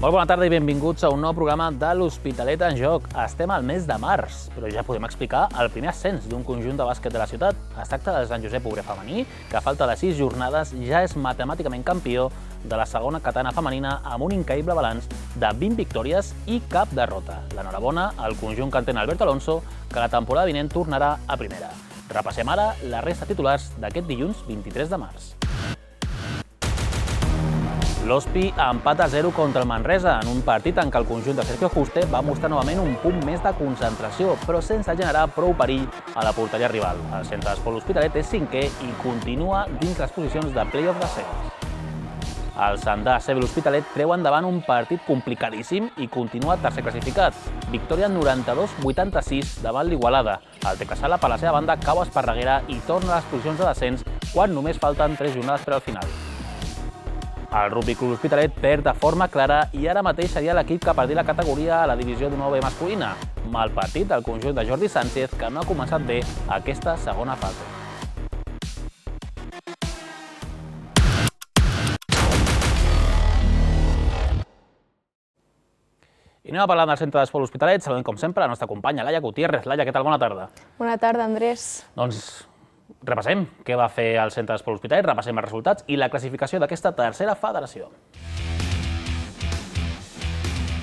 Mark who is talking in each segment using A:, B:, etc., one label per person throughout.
A: Molt bona tarda i benvinguts a un nou programa de l'Hospitalet en Joc. Estem al mes de març, però ja podem explicar el primer ascens d'un conjunt de bàsquet de la ciutat. Es tracta del Sant Josep Obrer femení, que a falta de 6 jornades ja és matemàticament campió de la segona catalana femenina amb un increïble balanç de 20 victòries i cap derrota. L'enhorabona al conjunt que entén Alberto Alonso, que la temporada vinent tornarà a primera. Repassem ara la resta de titulars d'aquest dilluns 23 de març. L'Hospi empata a 0 contra el Manresa en un partit en què el conjunt de Sergio Juste va mostrar novament un punt més de concentració, però sense generar prou perill a la porteria rival. El centre d'esport L'Hospitalet és cinquè i continua dins les posicions de play-off d'ascens. El Sandà CB L'Hospitalet treu endavant un partit complicadíssim i continua tercer classificat. Victòria 92-86 davant l'Igualada. El Teclasala, per la seva banda, cau a Esparreguera i torna a les posicions de descens quan només falten 3 jornades per al final. El Rugby Club L'Hospitalet perd de forma clara i ara mateix seria l'equip que perdria la categoria a la divisió d'1B masculina. Mal partit del conjunt de Jordi Sánchez, que no ha començat bé aquesta segona fase. I anem a parlar del centre d'esport L'Hospitalet. Saludem, com sempre, la nostra companya Laia Gutiérrez. Laia, què tal? Bona tarda.
B: Bona tarda, Andrés.
A: Doncs repassem què va fer el centre d'esport L'Hospitalet, repassem els resultats i la classificació d'aquesta tercera federació.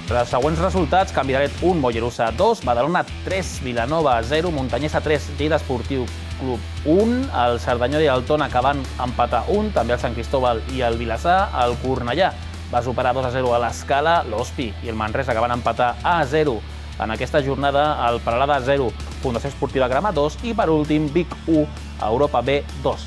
A: Els següents resultats: Canvidalet 1, Mollerussa 2, Badalona 3, Vilanova 0, Montanyesa 3, Lleida Esportiu Club 1, el Cerdanyola i el Tona que van empatar 1, també el Sant Cristóbal i el Vilassar, el Cornellà va superar 2-0 a l'Escala, l'Hospi i el Manresa que van empatar a 0 en aquesta jornada, el Peralada 0, Fundació Esportiva Grama 2 i per últim Vic 1, Europa B 2.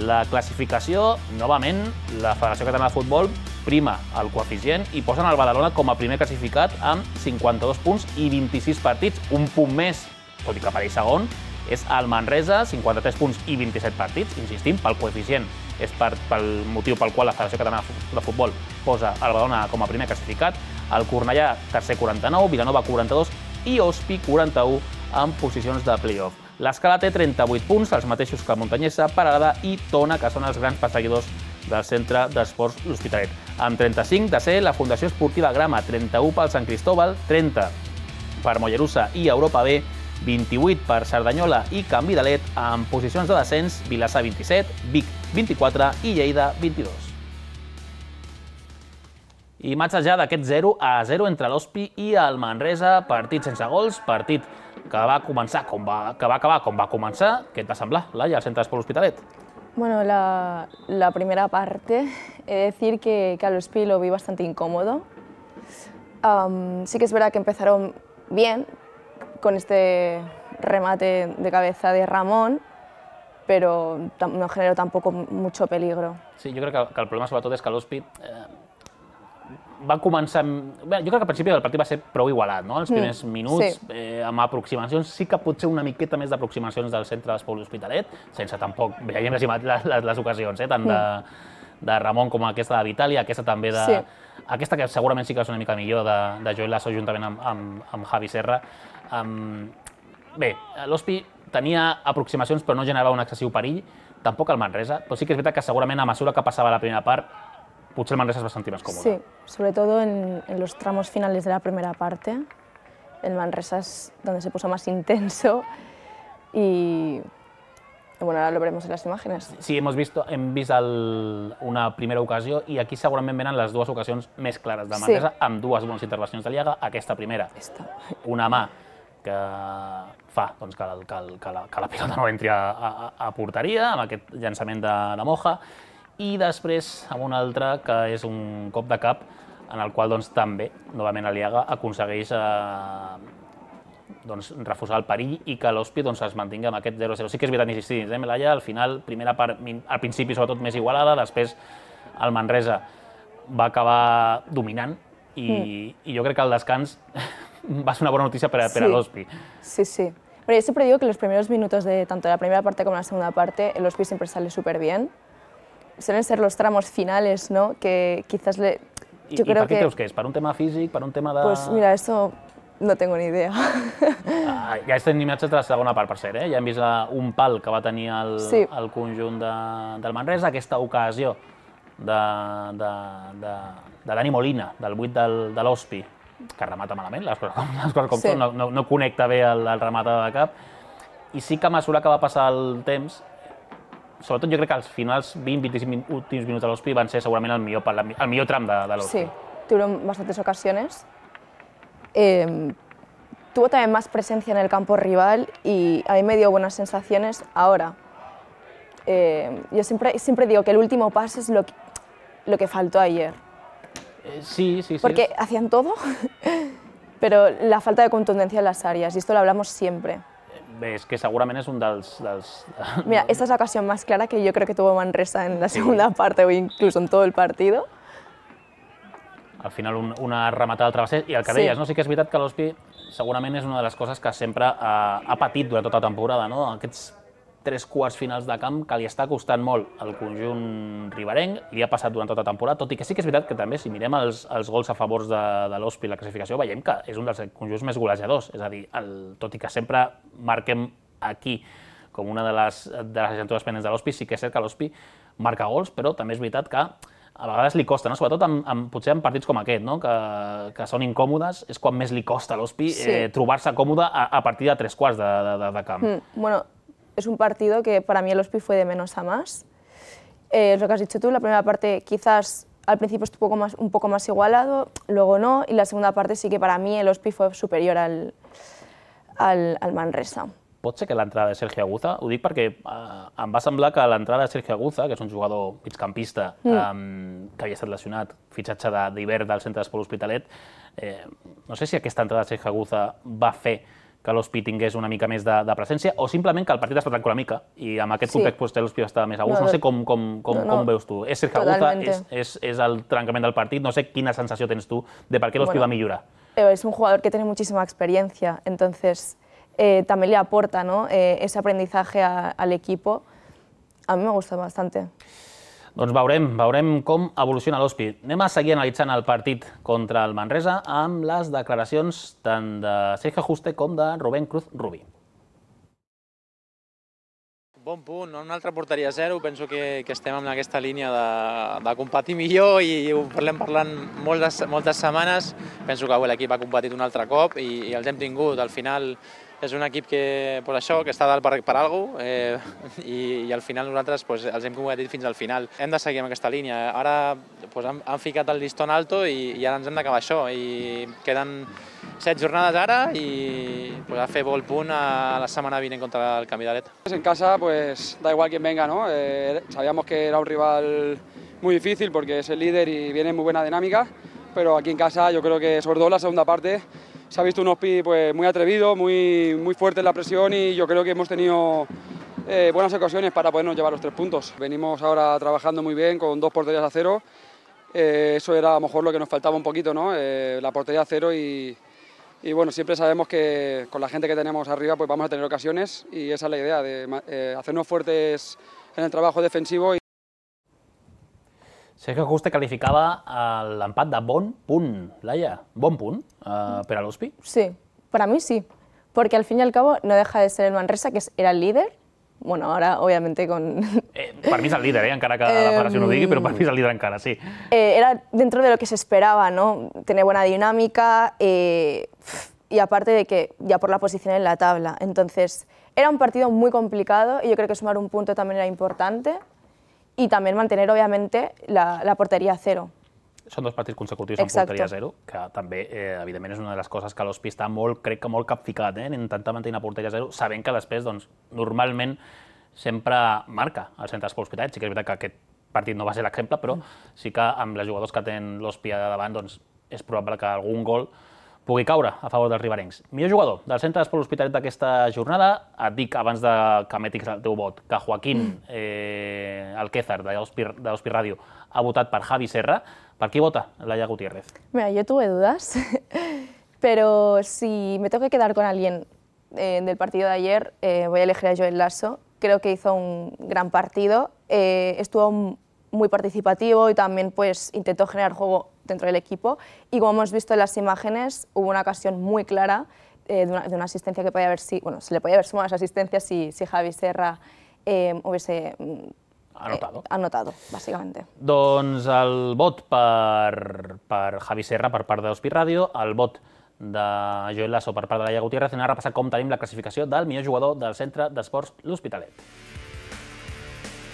A: La classificació, novament, la Federació Catalana de Futbol prima el coeficient i posen el Badalona com a primer classificat amb 52 punts i 26 partits, un punt més, tot i que apareix segon, és el Manresa, 53 punts i 27 partits, insistim, pel coeficient, és pel motiu pel qual la Federació Catalana de Futbol posa el Badalona com a primer classificat, el Cornellà tercer 49, Vilanova 42 i Hospi 41 en posicions de play-off. L'Escala té 38 punts, els mateixos que Montanyesa, Peralada i Tona, que són els grans perseguidors del centre d'esports L'Hospitalet. Amb 35 de ser la Fundació Esportiva Grama, 31 pel Sant Cristóbal, 30 per Mollerussa i Europa B, 28 per Cerdanyola i Canvidalet, en posicions de descens Vilassar 27, Vic 24 i Lleida 22. I imatges ja d'aquest 0-0 entre l'Hospi i el Manresa, partit sense gols, partit que va començar que va acabar com va començar. Què et va semblar, Laia, al centre d'esport L'Hospitalet?
B: Bueno, la primera parte, he de decir que al Hospi lo vi bastante incómodo. Sí que es verdad que empezaron bien con este remate de cabeza de Ramón, pero no generó tampoco mucho peligro. Sí,
A: jo crec que el problema sobretot és que l'Hospi va començar... Jo crec que al principi del partit va ser prou igualat, no? Els primers minuts, amb aproximacions, sí que potser una miqueta més d'aproximacions del centre d'esport L'Hospitalet, sense tampoc... Ja hem estimat les ocasions, tant de Ramon com aquesta de Vitali, aquesta també de... Aquesta que segurament sí que és una mica millor de Joel Lasso juntament amb Javi Serra. Bé, l'Hospi tenia aproximacions però no generava un excessiu perill, tampoc el Manresa, però sí que és veritat que segurament a mesura que passava la primera part potser el Manresa es va sentir más cómodo.
B: Sí, sobre todo en los tramos finales de la primera parte. El Manresa es donde se puso más intenso y bueno, ahora lo veremos en las imágenes.
A: Sí, hem vist una primera ocasió i aquí segurament venen les dues ocasions més clares del Manresa, amb dues bones intervencions de Lliaga. Aquesta primera, una mà que fa que la pilota no entri a porteria, amb aquest llançament de Moja, i després amb un altre que és un cop de cap en el qual també, novament Aliaga, aconsegueix refusar el perill i que l'Hospi es mantingui amb aquest 0-0. Sí que és veritat, insistir, Laia, al final, primera part, al principi sobretot més igualada, després el Manresa va acabar dominant i jo crec que el descans va ser una bona notícia per a l'Hospi.
B: Sí, sí. Bueno, yo siempre digo que los primeros minutos de tanto la primera parte como la segunda parte, el Hospi siempre sale súper bien. Suelen ser los tramos finales, ¿no? Que quizás le...
A: ¿Y per qué creus que és? Per un tema físic? Per un tema de...?
B: Pues mira, eso no tengo ni idea.
A: Ja estem imatges de la segona part, per cert, ja hem vist un pal que va tenir el conjunt del Manresa, aquesta ocasió de Dani Molina, del 8 de l'Hospi, que remata malament, les coses com són, no connecta bé el rematador de cap, i sí que a mesura que va passar el temps, sobretot jo crec que els finals 20-25 últims minuts de l'Hospi van ser segurament el millor tram de l'Hospi.
B: Sí, tuvieron bastantes ocasiones. Tuvo también más presencia en el campo rival y a mí me dio buenas sensaciones. Ahora, yo siempre digo que el último paso es lo que faltó ayer.
A: Sí.
B: Porque hacían todo, pero la falta de contundencia en las áreas, y esto lo hablamos siempre.
A: Bé, és que segurament és un dels...
B: Mira, esta es la ocasión más clara que yo creo que tuvo Manresa en la segunda parte o incluso en todo el partido.
A: Al final una rematada al travesser, i el que deies, no? Sí que és veritat que l'Hospi segurament és una de les coses que sempre ha patit durant tota la temporada, no? Aquests 3 quarts finals de camp que li està costant molt al conjunt riberenc, li ha passat durant tota la temporada, tot i que sí que és veritat que també, si mirem els gols a favors de l'Hospi i la classificació, veiem que és un dels conjunts més golejadors, és a dir, tot i que sempre marquem aquí com una de les assignatures pendents de l'Hospi, sí que és cert que l'Hospi marca gols, però també és veritat que a vegades li costa, no? Sobretot potser en partits com aquest, no? Que són incòmodes, és quan més li costa a l'Hospi trobar-se còmode a partir de 3 quarts de camp.
B: Bueno, es un partido que para mí el Hospi fue de menos a más. Es lo que has dicho tú, la primera parte quizás al principio estuvo un poco más igualado, luego no, y la segunda parte sí que para mí el Hospi fue superior al Manresa.
A: Pot ser que l'entrada de Sergio Aguza, ho dic perquè em va semblar que l'entrada de Sergio Aguza, que és un jugador migcampista que havia estat lesionat, fitxatge d'hivern del centre d'esport L'Hospitalet, no sé si aquesta entrada de Sergio Aguza va fer que l'Hospi tingués una mica més de presència o simplement que el partit es va trencar una mica i amb aquest context l'Hospi estava més a gust. No sé com veus tu. És Sergio Aguza, és el trencament del partit, no sé quina sensació tens tu de per què l'Hospi va millorar.
B: Es un jugador que tiene muchísima experiencia, entonces también le aporta, ¿no? Ese aprendizaje al equipo. A mí me gusta bastante.
A: Doncs veurem com evoluciona l'Hospi. Anem a seguir analitzant el partit contra el Manresa amb les declaracions tant de Sergio Juste com de Rubén Cruz Rubí.
C: Bon punt, una altra porteria a 0, penso que estem en aquesta línia de competir millor i ho parlant moltes setmanes. Penso que l'equip ha competit un altre cop i els hem tingut. Al final és un equip que està dalt per alguna cosa i al final nosaltres els hem competit fins al final. Hem de seguir amb aquesta línia. Ara han ficat el listón alto i ara ens hem d'acabar això. Queden 7 jornades ara y a fer el punt a la semana vinent contra el Canvidalet.
D: En casa pues da igual quién venga, ¿no? Sabíamos que era un rival muy difícil porque es el líder y viene en muy buena dinámica, pero aquí en casa yo creo que sobre todo en la segunda parte se ha visto un Hospi pues muy atrevido, muy fuerte en la presión y yo creo que hemos tenido buenas ocasiones para podernos llevar los 3 puntos. Venimos ahora trabajando muy bien con 2 porterías a 0, eso era a lo mejor lo que nos faltaba un poquito, ¿no? La portería a 0 y bueno, siempre sabemos que con la gente que tenemos arriba pues vamos a tener ocasiones y esa es la idea, de hacernos fuertes en el trabajo defensivo.
A: Sergio Juste calificaba l'empat de bon punt, Laia. Bon punt per a l'Hospi?
B: Sí, para mí sí, porque al fin y al cabo no deja de ser el Manresa, que era el líder. Bueno, ahora obviamente con...
A: Per mi és el líder, encara que la federació no ho digui, però per mi és el líder encara, sí.
B: Era dentro de lo que se esperaba, ¿no? Tener buena dinámica y aparte de que ya por la posición en la tabla. Entonces, era un partido muy complicado y yo creo que sumar un punto también era importante y también mantener, obviamente, la portería a 0.
A: Són 2 partits consecutius amb porteria a 0, que també, evidentment, és una de les coses que l'Hospi està crec que molt capficat, en intentar mantenir una porteria a 0, sabent que després, doncs, normalment, sempre marca el centre d'esport L'Hospitalet. Sí que és veritat que aquest partit no va ser l'exemple, però sí que amb els jugadors que tenen l'Hospi a davant, doncs, és probable que algun gol pugui caure a favor dels riberencs. Millor jugador del centre d'esport L'Hospitalet d'aquesta jornada, et dic abans que emetis el teu vot, que Joaquín Alquézar, d'Hospi Ràdio, ha votat per Javi Serra. ¿Por qué vota Laia Gutiérrez?
B: Mira, yo tuve dudas, pero si me tengo que quedar con alguien del partido de ayer, voy a elegir a Joel Lasso. Creo que hizo un gran partido, estuvo muy participativo y también pues, intentó generar juego dentro del equipo. Y como hemos visto en las imágenes, hubo una ocasión muy clara de una asistencia que podía haber, bueno, se le podía haber sumado a esa asistencia si Javi Serra hubiese anotado, básicamente.
A: Doncs el vot per Javi Serra per part d'Ospi Ràdio, el vot de Joel Lasso per part de Laia Gutiérrez, i anem a repassar com tenim la classificació del millor jugador del Centre d'Esports L'Hospitalet.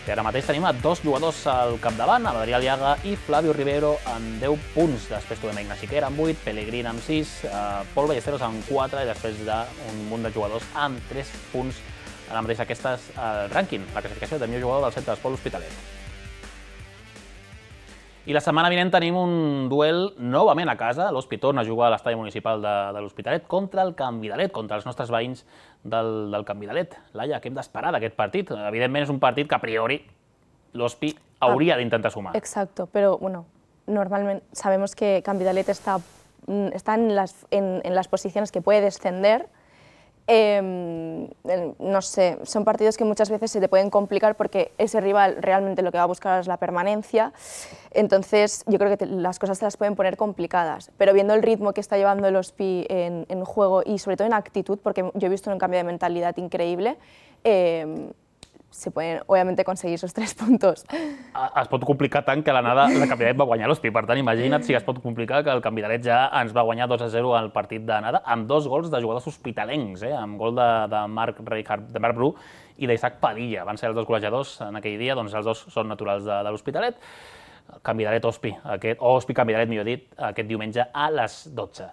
A: I ara mateix tenim a 2 jugadors al capdavant, Adrià Aliaga i Flavio Ribeiro amb 10 punts. Després trobem Ignasi Quer amb 8, Pellegrín amb 6, Pol Ballesteros amb 4 i després d'un munt de jugadors amb 3 punts. Ara mateix aquesta és el rànquing, la classificació del millor jugador del Centre d'Esports L'Hospitalet. I la setmana vinent tenim un duel novament a casa. L'Hospi torna a jugar a l'estadi municipal de l'Hospitalet contra el Can Vidalet, contra els nostres veïns del Can Vidalet. Laia, què hem d'esperar d'aquest partit? Evidentment és un partit que a priori l'Hospi hauria d'intentar sumar.
B: Exacto, pero bueno, normalmente sabemos que Can Vidalet está en las posiciones que puede descender. No sé, son partidos que muchas veces se te pueden complicar porque ese rival realmente lo que va a buscar es la permanencia, entonces yo creo que las cosas se las pueden poner complicadas, pero viendo el ritmo que está llevando el Hospi en juego y sobre todo en actitud, porque yo he visto un cambio de mentalidad increíble, se pueden, obviamente, conseguir esos 3 puntos.
A: Es pot complicar tant que l'anada la Can Vidalet va guanyar l'Hospi. Per tant, imagina't si es pot complicar que el Can Vidalet ja ens va guanyar 2-0 al partit d'anada, amb 2 gols de jugadors hospitalencs, amb gol de Marc Bru i d'Isaac Padilla. Van ser els 2 golejadors en aquell dia, doncs els 2 són naturals de l'Hospitalet. Can Vidalet-Hospi, o Hospi-Can Vidalet, millor dit, aquest diumenge a les 12.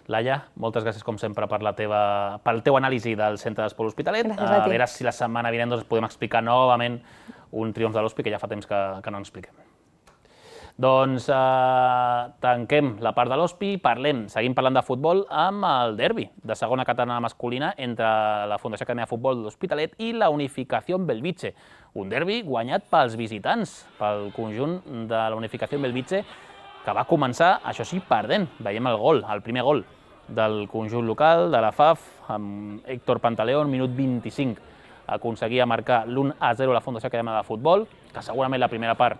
A: Laia, moltes gràcies, com sempre, pel teu anàlisi del Centre d'Esports L'Hospitalet. A veure si la setmana vinent podem explicar novament un triomf de l'Hospi, que ja fa temps que no expliquem. Doncs tanquem la part de l'Hospi i seguim parlant de futbol amb el derbi de segona catalana masculina entre la Fundació Acadèmia de Futbol de l'Hospitalet i la Unificación Belvitge. Un derbi guanyat pels visitants, pel conjunt de la Unificación Belvitge, que va començar, això sí, perdent. Veiem el gol, el primer gol del conjunt local, de la FAF, amb Héctor Pantaleón, minut 25. Aconseguia marcar l'1-0 a la Fundació Acadèmia de Futbol, que segurament la primera part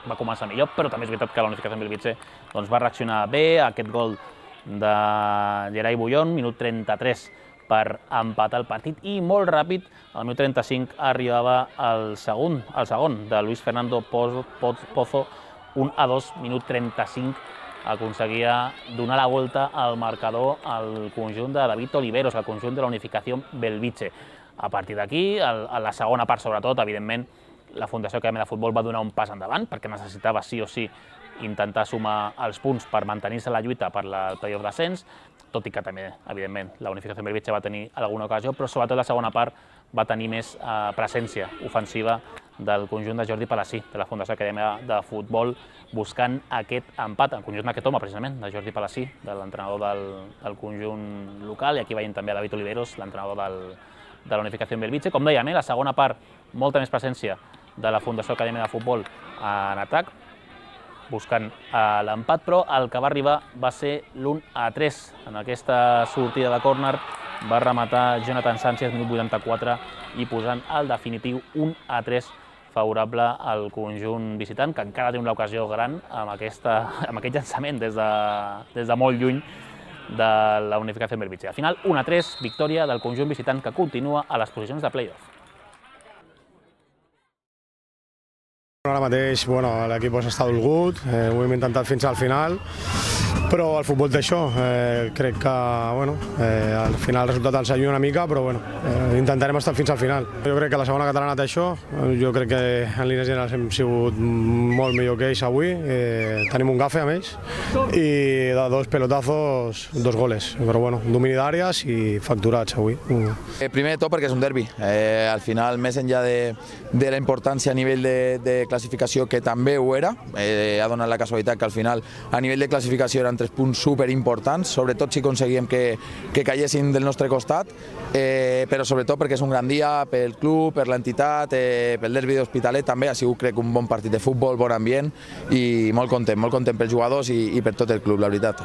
A: va començar millor, però també és veritat que la Unificació Belvitge va reaccionar bé a aquest gol de Gerai Bullón, minut 33, per empatar el partit, i molt ràpid, al minut 35, arribava el segon de Luis Fernando Pozo, 1-2, minut 35, aconseguia donar la volta al marcador al conjunt de David Oliveros, al conjunt de la Unificació Belvitge. A partir d'aquí, a la segona part sobretot, evidentment, la Fundació Acadèmia de Futbol va donar un pas endavant perquè necessitava sí o sí intentar sumar els punts per mantenir-se la lluita per el playoff d'ascens, tot i que també, evidentment, la Unificació Belvitge va tenir alguna ocasió, però sobretot la segona part va tenir més presència ofensiva del conjunt de Jordi Palací, de la Fundació Acadèmia de Futbol, buscant aquest empat, el conjunt d'aquest home, precisament, de Jordi Palací, de l'entrenador del conjunt local, i aquí veiem també a David Oliveros, l'entrenador de la Unificació Belvitge. Com dèiem, la segona part, molta més presència de la Fundació Acadèmia de Futbol en atac, buscant l'empat, però el que va arribar va ser l'1-3. En aquesta sortida de córner va rematar Jonathan Sánchez, minut 84, i posant el definitiu 1-3 favorable al conjunt visitant, que encara té una ocasió gran amb aquest llançament des de molt lluny de la Unificació Belvitge. Al final, 1-3, victòria del conjunt visitant, que continua a les posicions de play-off.
E: Ara mateix l'equip està dolgut, ho hem intentat fins al final, però el futbol té això. Crec que al final el resultat ens ajuda una mica, però intentarem estar fins al final. Jo crec que la segona catalana té això, jo crec que en línies generals hem sigut molt millor que ells avui, tenim un gafe amb ells, i de 2 pelotazos, 2 goles, però domini d'àrees i facturats avui.
F: Primer de tot perquè és un derbi, al final més enllà de la importància a nivell de classificació, que també ho era, ha donat la casualitat que al final a nivell de classificació eren 3 punts superimportants, sobretot si aconseguíem que caiguessin del nostre costat, però sobretot perquè és un gran dia pel club, per l'entitat, pel derbi d'Hospitalet també. Ha sigut, crec, un bon partit de futbol, bon ambient, i molt content pels jugadors i per tot el club, la veritat.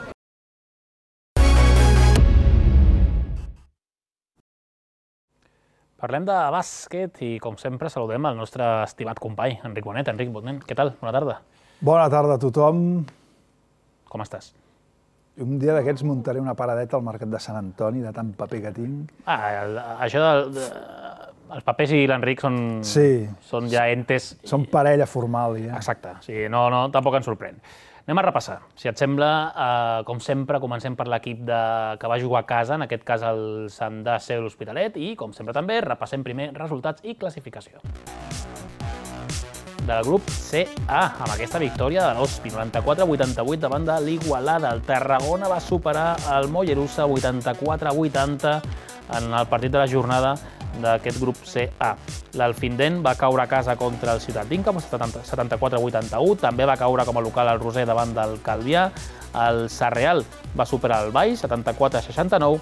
A: Parlem de bàsquet i, com sempre, saludem el nostre estimat company, Enric Bonet. Enric Bonet, què tal? Bona tarda.
G: Bona tarda a tothom.
A: Com estàs?
G: Un dia d'aquests muntaré una paradeta al mercat de Sant Antoni, de tant paper que tinc.
A: Això els papers i l'Enric són ja entes...
G: Són parella formal, ja.
A: Exacte, o sigui, no, tampoc ens sorprèn. Anem a repassar. Si et sembla, com sempre, comencem per l'equip que va jugar a casa, en aquest cas el Sandà Seu l'Hospitalet, i, com sempre també, repassem primer resultats i classificació. Del grup CA, amb aquesta victòria de l'Hospi, 94-88 davant de l'Igualada. El Tarragona va superar el Mollerussa 84-80 en el partit de la jornada d'aquest grup CA. L'Alfindent va caure a casa contra el Ciutat d'Inca, 74-81. També va caure com a local el Roser davant del Calvià. El Sarreal va superar el Baix, 74-69.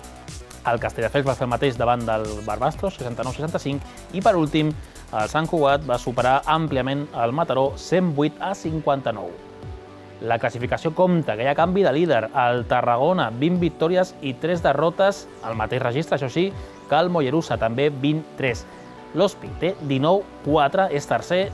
A: El Castelldefels va fer el mateix davant del Barbastros, 69-65. I per últim, el Sant Cugat va superar àmpliament el Mataró, 108-59. La classificació compta que hi ha canvi de líder. El Tarragona, 20 victòries i 3 derrotes, al mateix registre, això sí, que el Mollerussa, també 23. L'Hospi té 19-4, és tercer.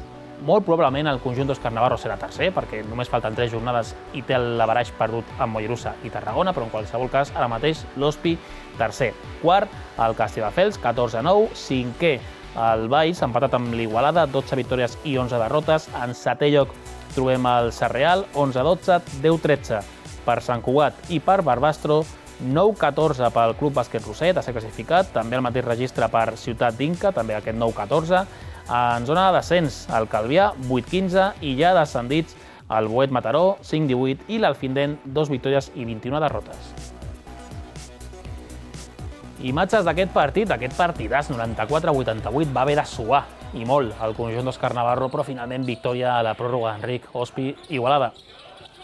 A: Molt probablement el conjunt d'Òscar Navarro serà tercer, perquè només falten 3 jornades i té l'averaix perdut amb Mollerussa i Tarragona, però en qualsevol cas, ara mateix, l'Hospi tercer. Quart, el Castelldefels, 14-9. Cinquè, el Baix, empatat amb l'Igualada, 12 victòries i 11 derrotes. En setè lloc trobem el Sarreal, 11-12, 10-13 per Sant Cugat i per Barbastro, 9-14 pel Club Bàsquet Roser, de ser classificat, també el mateix registre per Ciutat d'Inca, també aquest 9-14. En zona de descens, el Calvià, 8-15, i ja descendits el Boet Mataró, 5-18, i l'Alfindent, 2 victòries i 21 derrotes. Imatges d'aquest partidàs, 94-88, va haver de suar, i molt, el conjunt d'Òscar Navarro, però finalment victòria a la pròrroga. Enric, Hospi, Igualada.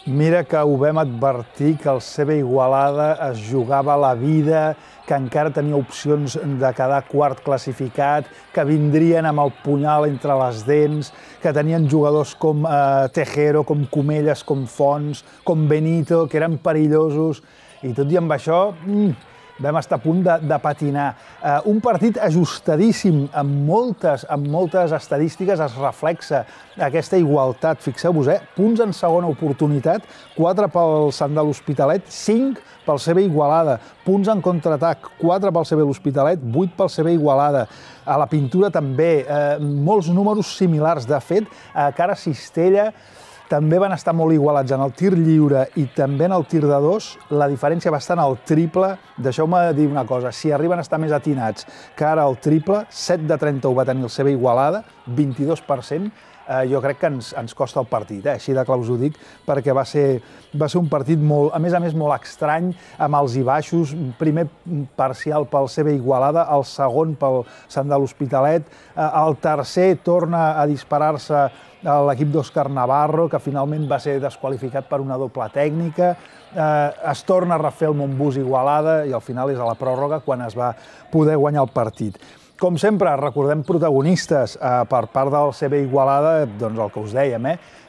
G: Mira que ho vam advertir, que el CB Igualada es jugava la vida, que encara tenia opcions de quedar quart classificat, que vindrien amb el punyal entre les dents, que tenien jugadors com Tejero, com Comelles, com Fons, com Benito, que eren perillosos, i tot i amb això vam estar a punt de patinar. Un partit ajustadíssim, amb moltes estadístiques es reflexa aquesta igualtat. Fixeu-vos, punts en segona oportunitat, 4 pel Sant de l'Hospitalet, 5 pel CB Igualada. Punts en contraatac, 4 pel CB l'Hospitalet, 8 pel CB Igualada. A la pintura també, molts números similars. De fet, a cara Cistella també van estar molt igualats en el tir lliure i també en el tir de 2. La diferència va estar en el triple. Deixeu-me dir una cosa, si arriben a estar més atinats que ara el triple, 7 de 30 ho va tenir el CB Igualada, 22%, jo crec que ens costa el partit, així de clar us ho dic, perquè va ser un partit molt, a més, molt estrany, amb alts i baixos. Primer parcial pel CB Igualada, el segon pel Sant de l'Hospitalet, el tercer torna a disparar-se l'equip d'Òscar Navarro, que finalment va ser desqualificat per una doble tècnica. Es torna a refer el Montbus Igualada i al final és a la pròrroga quan es va poder guanyar el partit. Com sempre, recordem protagonistes per part del CB Igualada, doncs el que us dèiem,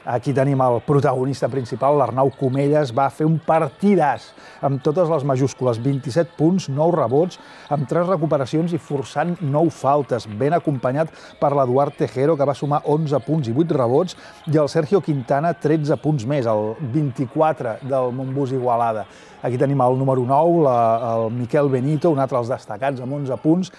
G: aquí tenim el protagonista principal, l'Arnau Comelles, va fer un partidàs amb totes les majúscules, 27 punts, 9 rebots, amb 3 recuperacions i forçant 9 faltes, ben acompanyat per l'Eduard Tejero, que va sumar 11 punts i 8 rebots, i el Sergio Quintana, 13 punts més, el 24 del Montbus Igualada. Aquí tenim el número 9, el Miquel Benito, un altre dels destacats, amb 11 punts.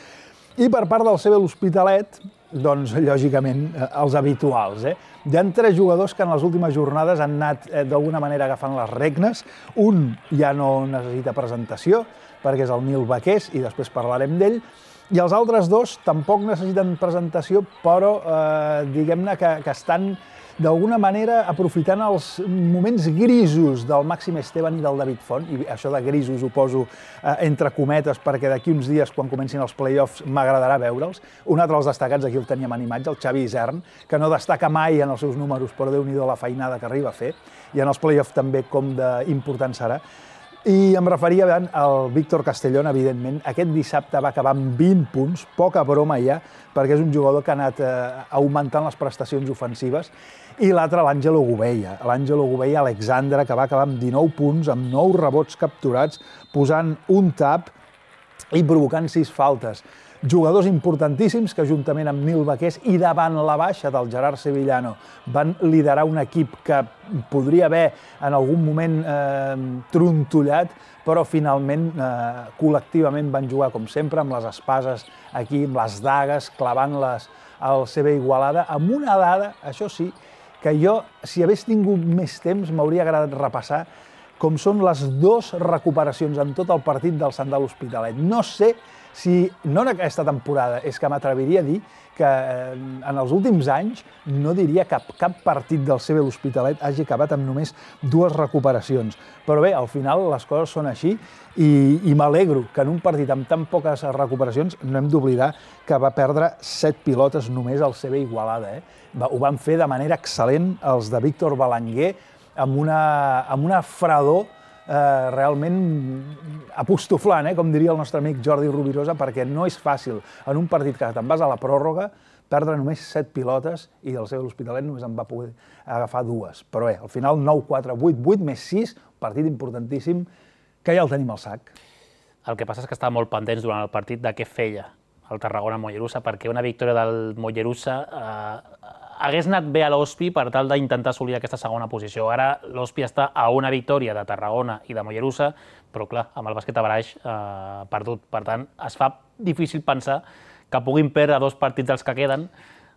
G: I per part del CB l'Hospitalet, doncs, lògicament, els habituals. Hi ha 3 jugadors que en les últimes jornades han anat d'alguna manera agafant les regnes. Un ja no necessita presentació, perquè és el Nil Baqués, i després parlarem d'ell. I els altres 2 tampoc necessiten presentació, però diguem-ne que estan d'alguna manera aprofitant els moments grisos del Màxim Esteban i del David Font, i això de grisos ho poso entre cometes perquè d'aquí uns dies, quan comencin els play-offs, m'agradarà veure'ls. Un altre dels destacats, aquí el teníem en imatge, el Xavi Isern, que no destaca mai en els seus números, però Déu-n'hi-do la feinada que arriba a fer, i en els play-offs també com d'important serà. I em referia al Víctor Castellón, evidentment. Aquest dissabte va acabar amb 20 punts, poca broma ja, perquè és un jugador que ha anat augmentant les prestacions ofensives. I l'altre, l'Àngelo Gubella. L'Àngelo Gubella Alexandre, que va acabar amb 19 punts, amb 9 rebots capturats, posant un tap. i provocant 6 faltes. Jugadors importantíssims que, juntament amb Nil Baqués i davant la baixa del Gerard Sevillano, van liderar un equip que podria haver en algun moment trontollat, però finalment col·lectivament van jugar, com sempre, amb les espases aquí, amb les dagues, clavant-les al CB Igualada, amb una dada, això sí, que jo, si hagués tingut més temps, m'hauria agradat repassar com són les 2 recuperacions en tot el partit del Sant de l'Hospitalet. No sé si, no en aquesta temporada, és que m'atreviria a dir que en els últims anys no diria que cap partit del CB l'Hospitalet hagi acabat amb només 2 recuperacions. Però bé, al final les coses són així i m'alegro que en un partit amb tan poques recuperacions no hem d'oblidar que va perdre 7 pilotes només al CB Igualada. Ho van fer de manera excel·lent els de Víctor Balanguer amb una fredor realment apostoflant, com diria el nostre amic Jordi Rovirosa, perquè no és fàcil en un partit que te'n vas a la pròrroga perdre només 7 pilotes i el CB l'Hospitalet només en va poder agafar 2. Però bé, al final 9-4, 8-8 més 6, partit importantíssim que ja el tenim al sac.
A: El que passa és que estava molt pendents durant el partit de què feia el Tarragona-Mollerussa, perquè una victòria del Mollerussa hagués anat bé a l'Hospi per tal d'intentar assolir aquesta segona posició. Ara l'Hospi està a una victòria de Tarragona i de Mollerussa, però clar, amb el bàsquet a Baraix perdut. Per tant, es fa difícil pensar que puguin perdre 2 partits dels que queden,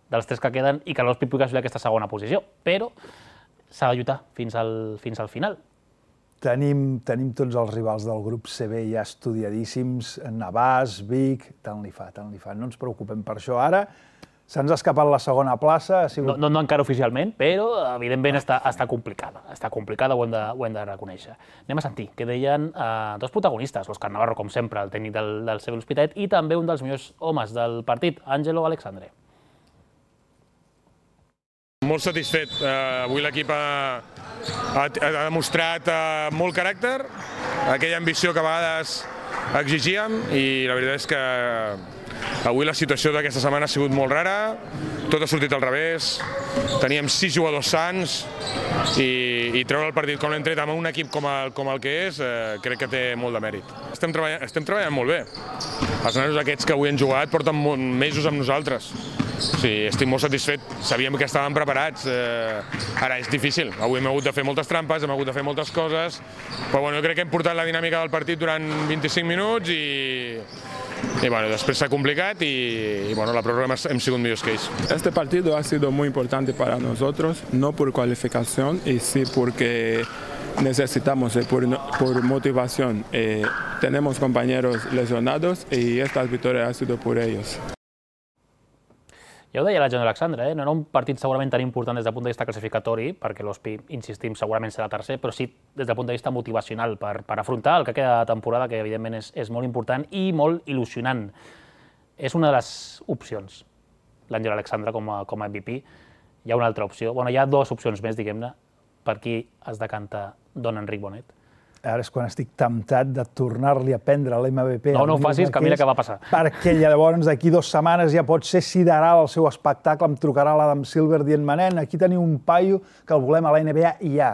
A: dels 3 que queden, i que l'Hospi pugui assolir aquesta segona posició. Però s'ha de lluitar fins al final.
G: Tenim tots els rivals del grup CB ja estudiadíssims, Navàs, Vic, tant li fa. No ens preocupem per això ara. Se'ns ha escapat la segona plaça.
A: No encara oficialment, però evidentment està complicada. Està complicada, ho hem de reconèixer. Anem a sentir què deien 2 protagonistes, l'Òscar Navarro, com sempre, el tècnic del CB l'Hospitalet, i també un dels millors homes del partit, Àngelo Alexandre.
H: Molt satisfet. Avui l'equip ha demostrat molt caràcter, aquella ambició que a vegades exigíem, i la veritat és que avui la situació d'aquesta setmana ha sigut molt rara, tot ha sortit al revés, teníem 6 jugadors sans i treure el partit com l'hem tret amb un equip com el que és, crec que té molt de mèrit. Estem treballant molt bé. Els nanos aquests que avui han jugat porten mesos amb nosaltres. Sí, estic molt satisfet, sabíem que estàvem preparats, ara és difícil, avui hem hagut de fer moltes trampes, hem hagut de fer moltes coses, però bueno, crec que hem portat la dinàmica del partit durant 25 minuts i bueno, després s'ha complicat y bueno, la prórroga hem sigut millors que ells.
I: Este partido ha sido muy importante para nosotros, no por cualificación, y sí porque necesitamos por motivación. Tenemos compañeros lesionados y estas victorias han sido por ellos.
A: Ja ho deia l'Àngelo Alexandre, no era un partit segurament tan important des del punt de vista classificatori, perquè l'Hospi, insistim, segurament serà tercer, però sí des del punt de vista motivacional, per afrontar el que queda de temporada, que evidentment és molt important i molt il·lusionant. És una de les opcions, l'Àngelo Alexandre com a MVP. Hi ha una altra opció, hi ha 2 opcions més, diguem-ne, per qui es decanta Don Enric Bonet.
G: Ara és quan estic temptat de tornar-li a prendre l'MVP.
A: No ho facis, que mira què va passar.
G: Perquè llavors d'aquí 2 setmanes ja pot ser sideral el seu espectacle, em trucarà l'Adam Silver dient «Manent, aquí teniu un paio que el volem a la NBA i ja».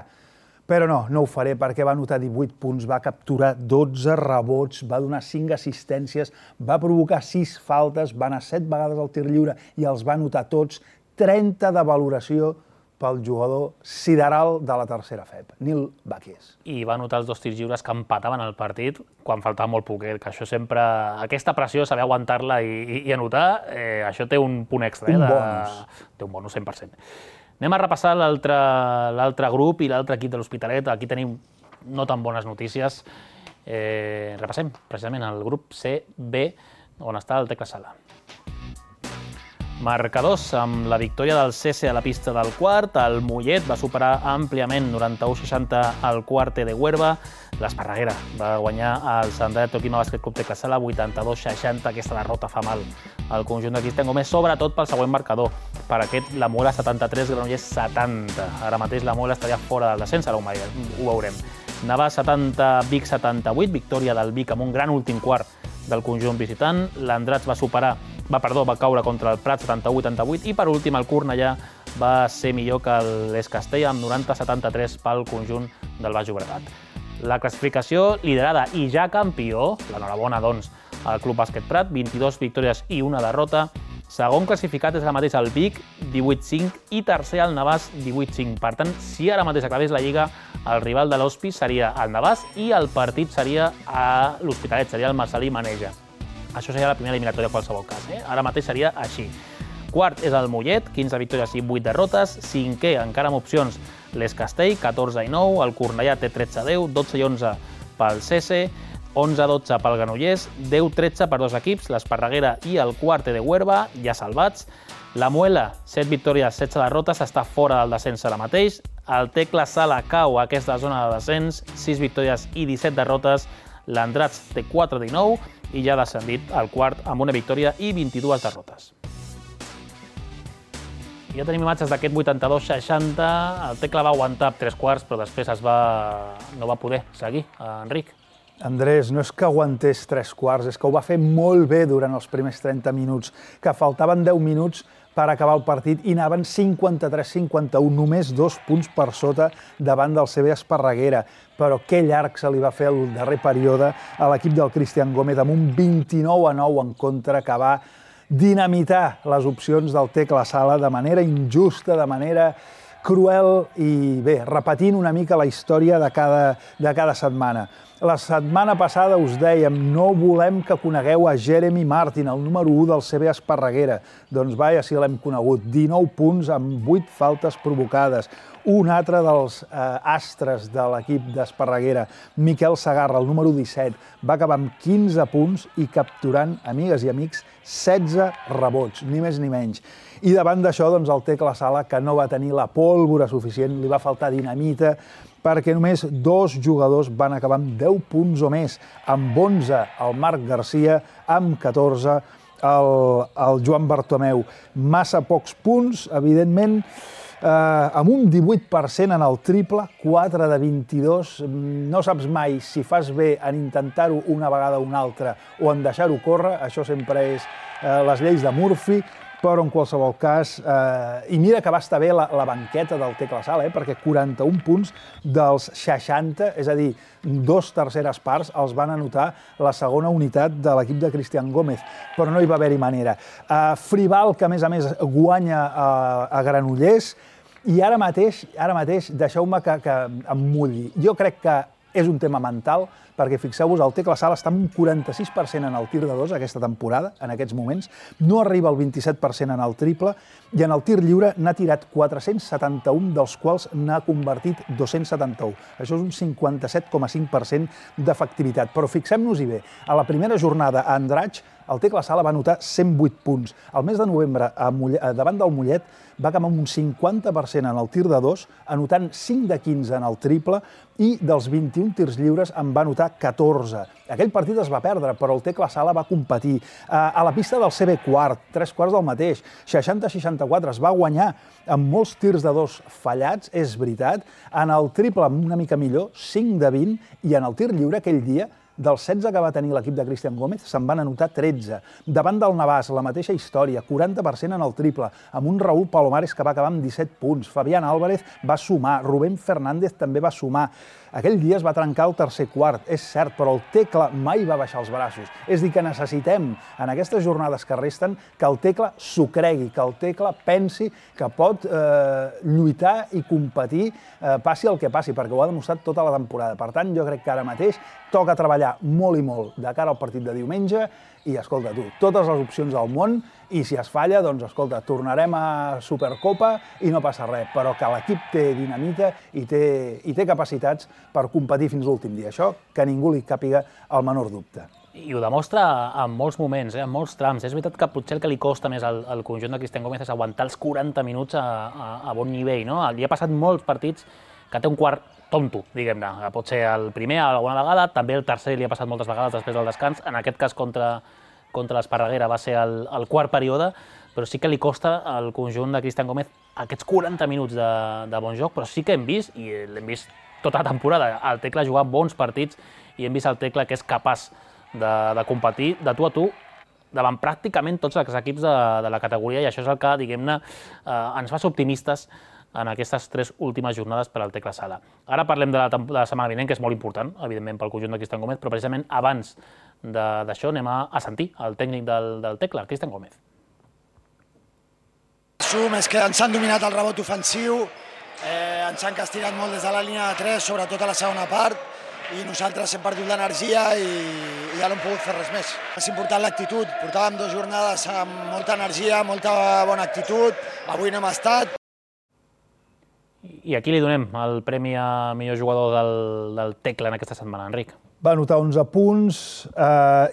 G: Però no ho faré perquè va anotar 18 punts, va capturar 12 rebots, va donar 5 assistències, va provocar 6 faltes, va anar 7 vegades al tir lliure i els va anotar tots, 30 de valoració pel jugador sideral de la tercera FEP, Nil Baqués.
A: I va anotar els 2 tirs lliures que empataven el partit quan faltava molt poquet, que això sempre... Aquesta pressió, saber aguantar-la i anotar, això té un punt extra.
G: Un bonus.
A: Té un bonus, 100%. Anem a repassar l'altre grup i l'altre equip de l'Hospitalet. Aquí tenim no tan bones notícies. Repassem precisament el grup C-B, on està el Tecla Sala. Marcadors, amb la victòria del CC a la pista del quart, el Mollet va superar àmpliament 91-60 al Quarte de Huerva, l'Esparreguera va guanyar el Sant Toquima Bàsquet Club Tecla Sala 82-60, aquesta derrota fa mal al conjunt de Cristian Gómez, sobretot pel següent marcador. Per aquest, la Muela 73, Granollers 70. Ara mateix la Muela estaria fora del descens, ara ho veurem. Navàs 70, Vic 78, victòria del Vic amb un gran últim quart del conjunt visitant. L'Andrats va caure contra el Prat 78-88 i per últim el Cornellà va ser millor que l'Escastell amb 90-73 pel conjunt del Baix Llobregat. La classificació liderada i ja campió, l'enhorabona doncs el Club Bàsquet Prat, 22 victòries i una derrota. Segon classificat és ara mateix el Vic, 18-5, i tercer el Navàs, 18-5. Per tant, si ara mateix acabés la Lliga, el rival de l'Hospi seria el Navàs i el partit seria a l'Hospitalet, seria el Marcel·lí Maneja. Això seria la primera eliminatòria en qualsevol cas. Ara mateix seria així. Quart és el Mollet, 15 victòries i 8 derrotes. Cinquè, encara amb opcions, l'Escastell, 14-9. El Cornellà té 13-10, 12-11 pel Cese, 11-12 pel Granollers, 10-13 per dos equips, l'Esparreguera i el Quarte de Huerva, ja salvats. La Muela, 7 victòries, 16 derrotes, està fora del descens ara mateix. El Tecla Sala cau a aquesta zona de descens, 6 victòries i 17 derrotes. L'Andrats té 4-19 i ja ha descendit el quart amb una victòria i 22 derrotes. Ja tenim imatges d'aquest 82-60. El Tecla va aguantar 3 quarts, però després no va poder seguir, Enric.
G: Andrés, no és que aguantés 3 quarts, és que ho va fer molt bé durant els primers 30 minuts, que faltaven 10 minuts per acabar el partit i anaven 53-51, només 2 punts per sota davant del CB Esparreguera. Però que llarg se li va fer el darrer període a l'equip del Cristian Gómez amb un 29-9 en contra que va dinamitar les opcions del Tecla Sala de manera injusta, de manera cruel i bé, repetint una mica la història de cada setmana. La setmana passada us dèiem, no volem que conegueu a Jeremy Martin, el número 1 del CB Esparreguera. Doncs vaja, si l'hem conegut. 19 punts amb 8 faltes provocades. Un altre dels astres de l'equip d'Esparreguera, Miquel Segarra, el número 17, va acabar amb 15 punts i capturant, amigues i amics, 16 rebots, ni més ni menys. I davant d'això, doncs, el Tecla Sala, que no va tenir la pólvora suficient, li va faltar dinamita, perquè només 2 jugadors van acabar amb 10 punts o més, amb 11 el Marc Garcia, amb 14 el Joan Bartomeu. Massa pocs punts, evidentment, amb un 18% en el triple, 4 de 22, no saps mai si fas bé en intentar-ho una vegada o una altra o en deixar-ho córrer, això sempre és les lleis de Murphy, però en qualsevol cas, i mira que va estar bé la banqueta del Tecla Sala, perquè 41 punts dels 60, és a dir, 2 terceres parts, els van anotar la segona unitat de l'equip de Cristian Gómez, però no hi va haver-hi manera. Frival, que a més guanya a Granollers, i ara mateix deixeu-me que em mulli. Jo crec que és un tema mental, perquè fixeu-vos, el Tecla Sala està amb un 46% en el tir de 2 aquesta temporada, en aquests moments, no arriba al 27% en el triple, i en el tir lliure n'ha tirat 471, dels quals n'ha convertit 271. Això és un 57,5% d'efectivitat. Però fixem-nos-hi bé, a la primera jornada a Andratx, el Tecla Sala va anotar 108 punts. Al mes de novembre, davant del Mollet, va acabar amb un 50% en el tir de 2, anotant 5 de 15 en el triple, i dels 21 tirs lliures en va anotar 14. Aquell partit es va perdre, però el Tecla Sala va competir. A la pista del CB quart, 3 quarts del mateix, 60-64, es va guanyar amb molts tirs de 2 fallats, és veritat. En el triple, una mica millor, 5 de 20, i en el tir lliure aquell dia, dels 16 que va tenir l'equip de Cristian Gómez, se'n van anotar 13. Davant del Navàs, la mateixa història, 40% en el triple, amb un Raúl Palomares que va acabar amb 17 punts. Fabián Álvarez va sumar, Rubén Fernández també va sumar. Aquell dia es va trencar el tercer quart, és cert, però el Tecla mai va baixar els braços. És a dir, que necessitem, en aquestes jornades que resten, que el Tecla s'ho cregui, que el Tecla pensi que pot lluitar i competir, passi el que passi, perquè ho ha demostrat tota la temporada. Per tant, jo crec que ara mateix toca treballar molt i molt de cara al partit de diumenge i, escolta, tu, totes les opcions del món, i si es falla, doncs, escolta, tornarem a Supercopa i no passa res, però que l'equip té dinamita i té capacitats per competir fins l'últim dia. Això, que ningú li càpiga el menor dubte.
A: I ho demostra en molts moments, en molts trams. És veritat que potser el que li costa més al conjunt de Cristian Gómez és aguantar els 40 minuts a bon nivell, no? Li ha passat molts partits que té un quart tonto, diguem-ne. Pot ser el primer alguna vegada, també el tercer li ha passat moltes vegades després del descans. En aquest cas, contra l'Esparreguera va ser el quart període, però sí que li costa al conjunt de Cristian Gómez aquests 40 minuts de bon joc, però sí que hem vist, i l'hem vist tota la temporada, el Tecla jugar bons partits i hem vist el Tecla que és capaç de competir de tu a tu davant pràcticament tots els equips de la categoria, i això és el que, diguem-ne, ens fa ser optimistes en aquestes 3 últimes jornades per al Tecla Sala. Ara parlem de la setmana vinent, que és molt important, evidentment, pel conjunt de Cristian Gómez, però precisament abans d'això anem a sentir el tècnic del Tecla, Cristian Gómez.
J: És que ens han dominat el rebot ofensiu, ens han castigat molt des de la línia de 3, sobretot a la segona part, i nosaltres hem perdut l'energia i ja no hem pogut fer res més. És important l'actitud, portàvem 2 jornades amb molta energia, molta bona actitud, avui no hem estat.
A: I aquí li donem el premi a millor jugador del Tecla en aquesta setmana, Enric.
G: Va anotar 11 punts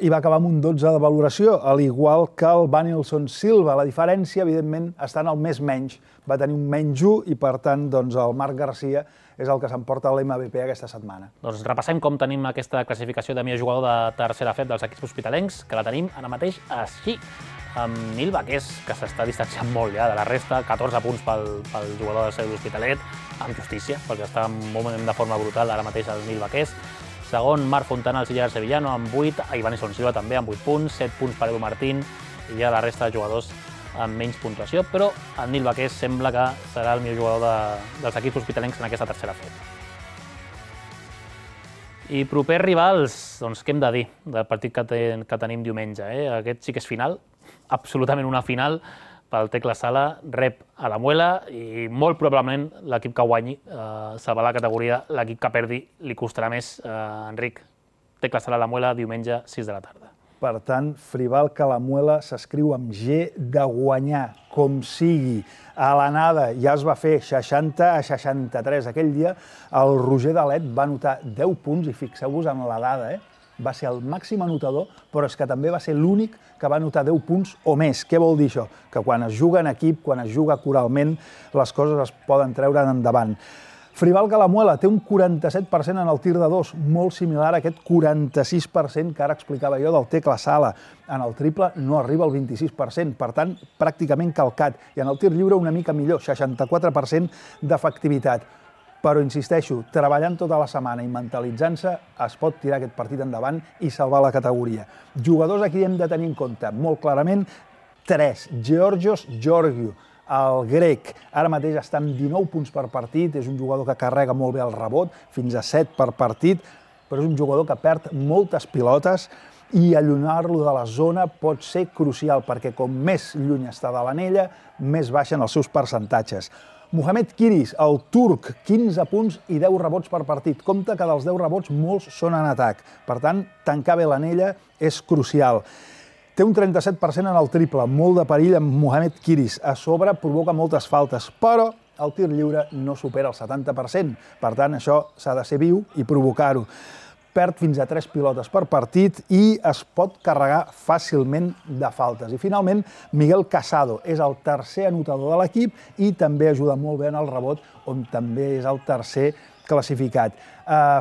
G: i va acabar amb un 12 de valoració, al igual que el Vanilson Silva. La diferència, evidentment, està en el més menys. Va tenir un menys 1 i, per tant, el Marc Garcia és el que s'emporta l'MVP aquesta setmana.
A: Doncs repassem com tenim aquesta classificació de millor jugador de tercera FEP dels equips hospitalencs, que la tenim ara mateix així, amb Nil Baqués, que s'està distanciant molt ja de la resta, 14 punts pel jugador del CEU l'Hospitalet, amb justícia, perquè està de forma brutal ara mateix el Nil Baqués. Segon, Marc Fontana, el Sillar Sevillano, amb 8, Ivanison Silva també amb 8 punts, 7 punts per Edu Martín, i ja la resta de jugadors amb menys puntuació, però el Nil Baqués sembla que serà el millor jugador dels equips hospitalencs en aquesta tercera FEP. I propers rivals, doncs què hem de dir del partit que tenim diumenge? Aquest sí que és final, absolutament una final pel Tecla Sala, rep a la Muela i molt probablement l'equip que guanyi salvar la categoria, l'equip que perdi li costarà més, Enric. Tecla Sala a la Muela, diumenge, 6 de la tarda.
G: Per tant, Frival que la Muela s'escriu amb G de guanyar, com sigui. A l'anada ja es va fer 60-63. Aquell dia el Roger Dalet va anotar 10 punts i fixeu-vos en la dada, va ser el màxim anotador, però és que també va ser l'únic que va anotar 10 punts o més. Què vol dir això? Que quan es juga en equip, quan es juga coralment, les coses es poden treure endavant. Frival Calamuela té un 47% en el tir de 2, molt similar a aquest 46% que ara explicava jo del Tecla Sala. En el triple no arriba al 26%, per tant, pràcticament calcat. I en el tir lliure una mica millor, 64% d'efectivitat. Però, insisteixo, treballant tota la setmana i mentalitzant-se, es pot tirar aquest partit endavant i salvar la categoria. Jugadors aquí hem de tenir en compte, molt clarament, 3. Georgios Georgiou, el grec. Ara mateix està amb 19 punts per partit, és un jugador que carrega molt bé el rebot, fins a 7 per partit, però és un jugador que perd moltes pilotes i allunyar-lo de la zona pot ser crucial, perquè com més lluny està de l'anella, més baixen els seus percentatges. Mohamed Kiris, el turc, 15 punts i 10 rebots per partit. Compte que dels 10 rebots molts són en atac. Per tant, tancar bé l'anella és crucial. Té un 37% en el triple, molt de perill amb Mohamed Kiris. A sobre provoca moltes faltes, però el tir lliure no supera el 70%. Per tant, això s'ha de ser viu i provocar-ho. Perd fins a 3 pilotes per partit i es pot carregar fàcilment de faltes. I finalment, Miguel Casado és el tercer anotador de l'equip i també ajuda molt bé en el rebot, on també és el tercer classificat.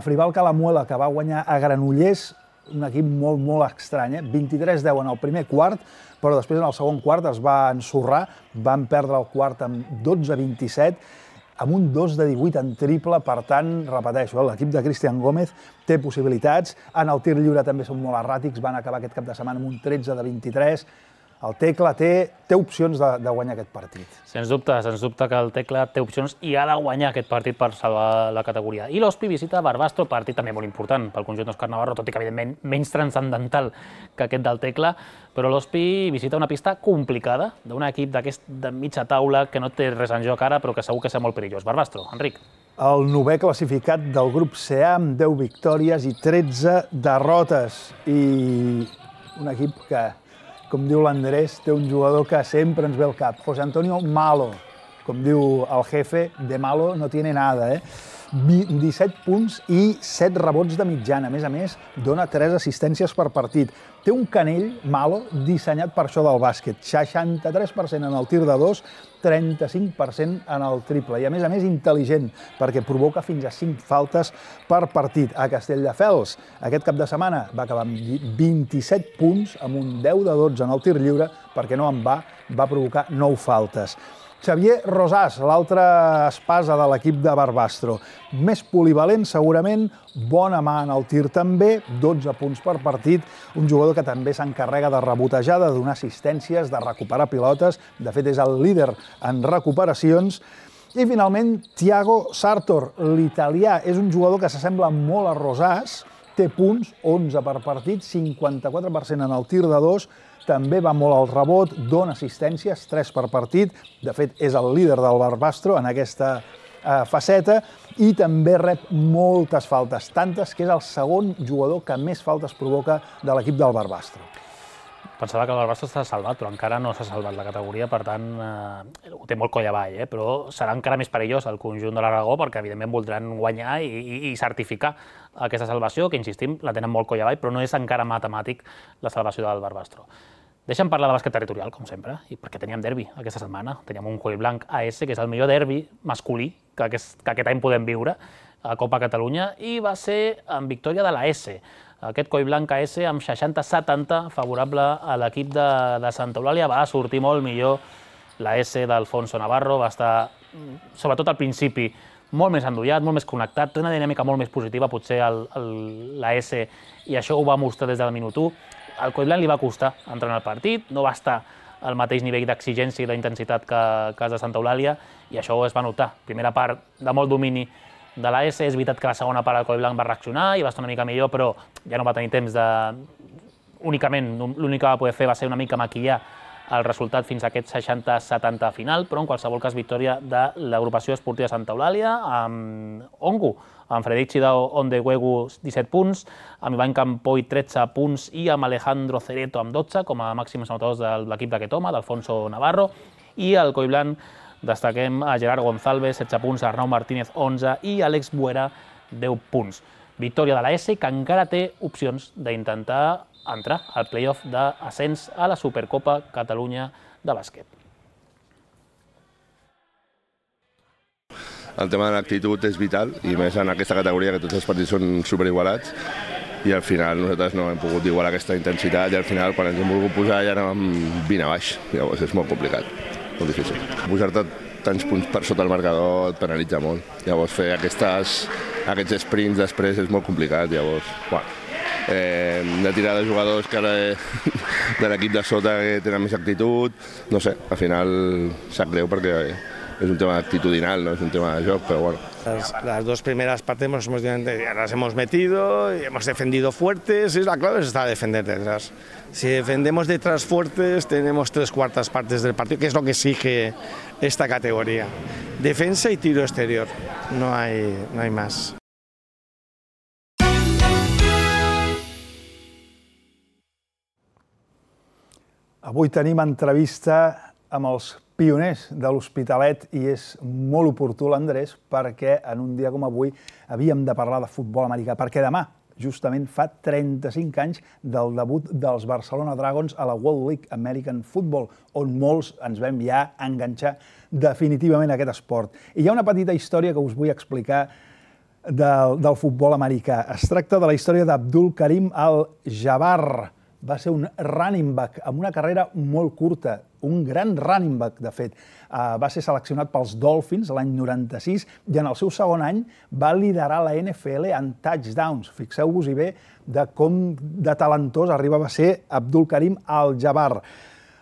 G: Frival Calamuela, que va guanyar a Granollers, un equip molt estrany, 23-10 en el primer quart, però després en el segon quart es va ensorrar, van perdre el quart amb 12-27, amb un 2-18 en triple, per tant, repeteixo, l'equip de Cristian Gómez té possibilitats, en el tir lliure també són molt erràtics, van acabar aquest cap de setmana amb un 13-23, el Tecla té opcions de guanyar aquest partit.
A: Sens dubte que el Tecla té opcions i ha de guanyar aquest partit per salvar la categoria. I l'Hospi visita Barbastro, partit també molt important pel conjunt d'Òscar Navarro, tot i que evidentment menys transcendental que aquest del Tecla, però l'Hospi visita una pista complicada d'un equip d'aquest de mitja taula que no té res en joc ara, però que segur que serà molt perillós. Barbastro, Enric.
G: El 9è classificat del grup C amb 10 victòries i 13 derrotes. I un equip que, com diu l'Andrés, té un jugador que sempre ens ve al cap. José Antonio Malo, com diu el jefe, de malo no tiene nada, 17 punts i 7 rebots de mitjana. A més, dona 3 assistències per partit. Té un canell, Malo, dissenyat per això del bàsquet. 63% en el tir de 2, 35% en el triple. I a més, intel·ligent, perquè provoca fins a 5 faltes per partit. A Castelldefels, aquest cap de setmana, va acabar amb 27 punts, amb un 10-12 en el tir lliure, perquè no en va provocar 9 faltes. Xavier Rosàs, l'altre espasa de l'equip de Barbastro. Més polivalent, segurament, bona mà en el tir també, 12 punts per partit, un jugador que també s'encarrega de rebotejar, de donar assistències, de recuperar pilotes, de fet és el líder en recuperacions, I finalment, Thiago Sartor, l'italià, és un jugador que s'assembla molt a Rosàs, té punts, 11 per partit, 54% en el tir de 2, també va molt al rebot, dona assistències, 3 per partit, de fet és el líder del Barbastro en aquesta faceta, i també rep moltes faltes, tantes que és el segon jugador que més faltes provoca de l'equip del Barbastro.
A: Pensava que el Barbastro s'ha salvat, però encara no s'ha salvat la categoria, per tant, ho té molt coll avall, però serà encara més perillós el conjunt de l'Aragó, perquè evidentment voldran guanyar i certificar aquesta salvació, que insistim, la tenen molt coll avall, però no és encara matemàtic la salvació del Barbastro. Deixa'm parlar de bàsquet territorial, com sempre, i perquè teníem derbi aquesta setmana. Teníem un Collblanc AS, que és el millor derbi masculí que aquest any podem viure a Copa Catalunya, i va ser en victòria de la S. Aquest Collblanc AS amb 60-70 favorable a l'equip de Santa Eulàlia. Va sortir molt millor la S d'Alfonso Navarro, va estar, sobretot al principi, molt més endollat, molt més connectat, té una dinàmica molt més positiva, potser la S, i això ho va mostrar des del minut 1. Al Collblanc li va costar entrar en el partit, no va estar al mateix nivell d'exigència i d'intensitat que el de Santa Eulàlia, i això es va notar. Primera part de molt domini de la S, és veritat que la segona part el Collblanc va reaccionar i va estar una mica millor, però ja no va tenir temps de... Únicament, l'únic que va poder fer va ser una mica maquillar el resultat fins a aquest 60-70 final, però en qualsevol cas victòria de l'agrupació esportiva Santa Eulàlia, amb Ongu, amb Frederic Chidao Ondewegu 17 punts, amb Ivan Campoy 13 punts i amb Alejandro Cereto amb 12 com a màxims anotadors de l'equip d'aquest home, d'Alfonso Navarro, i al Collblanc destaquem a Gerard González, 16 punts, Arnau Martínez, 11, i Àlex Buera, 10 punts. Victòria de la S, que encara té opcions d'intentar entrar al play-off d'ascens a la Supercopa Catalunya de bàsquet.
K: El tema de l'actitud és vital, i més en aquesta categoria que tots els partits són superigualats, i al final nosaltres no hem pogut igualar aquesta intensitat, i al final quan ens hem volgut posar ja anàvem 20 a baix, llavors és molt complicat. Molt difícil. Pujar-te tants punts per sota el marcador et penalitza molt. Llavors fer aquests sprints després és molt complicat. Llavors, hem de tirar de jugadors que de l'equip de sota que tenen més actitud. No sé, al final sap greu perquè es un tema actitudinal, no es un tema de joc, pero bueno.
L: Las dos primeras partes las hemos metido, y hemos defendido fuertes, y la clave está defender detrás. Si defendemos detrás fuertes, tenemos 3/4 partes del partido, que es lo que exige esta categoría. Defensa y tiro exterior, no hay más.
G: Avui tenim entrevista amb els pioners de l'Hospitalet i és molt oportú l'Andrés perquè en un dia com avui havíem de parlar de futbol americà, perquè demà justament fa 35 anys del debut dels Barcelona Dragons a la World League American Football, on molts ens vam ja enganxar definitivament a aquest esport. I hi ha una petita història que us vull explicar del futbol americà. Es tracta de la història d'Abdul Karim Al-Jabbar. Va ser un running back amb una carrera molt curta, un gran running back, de fet. Va ser seleccionat pels Dolphins l'any 96 i en el seu segon any va liderar la NFL en touchdowns. Fixeu-vos-hi bé de com de talentós arribava a ser Abdul Karim Al-Jabbar.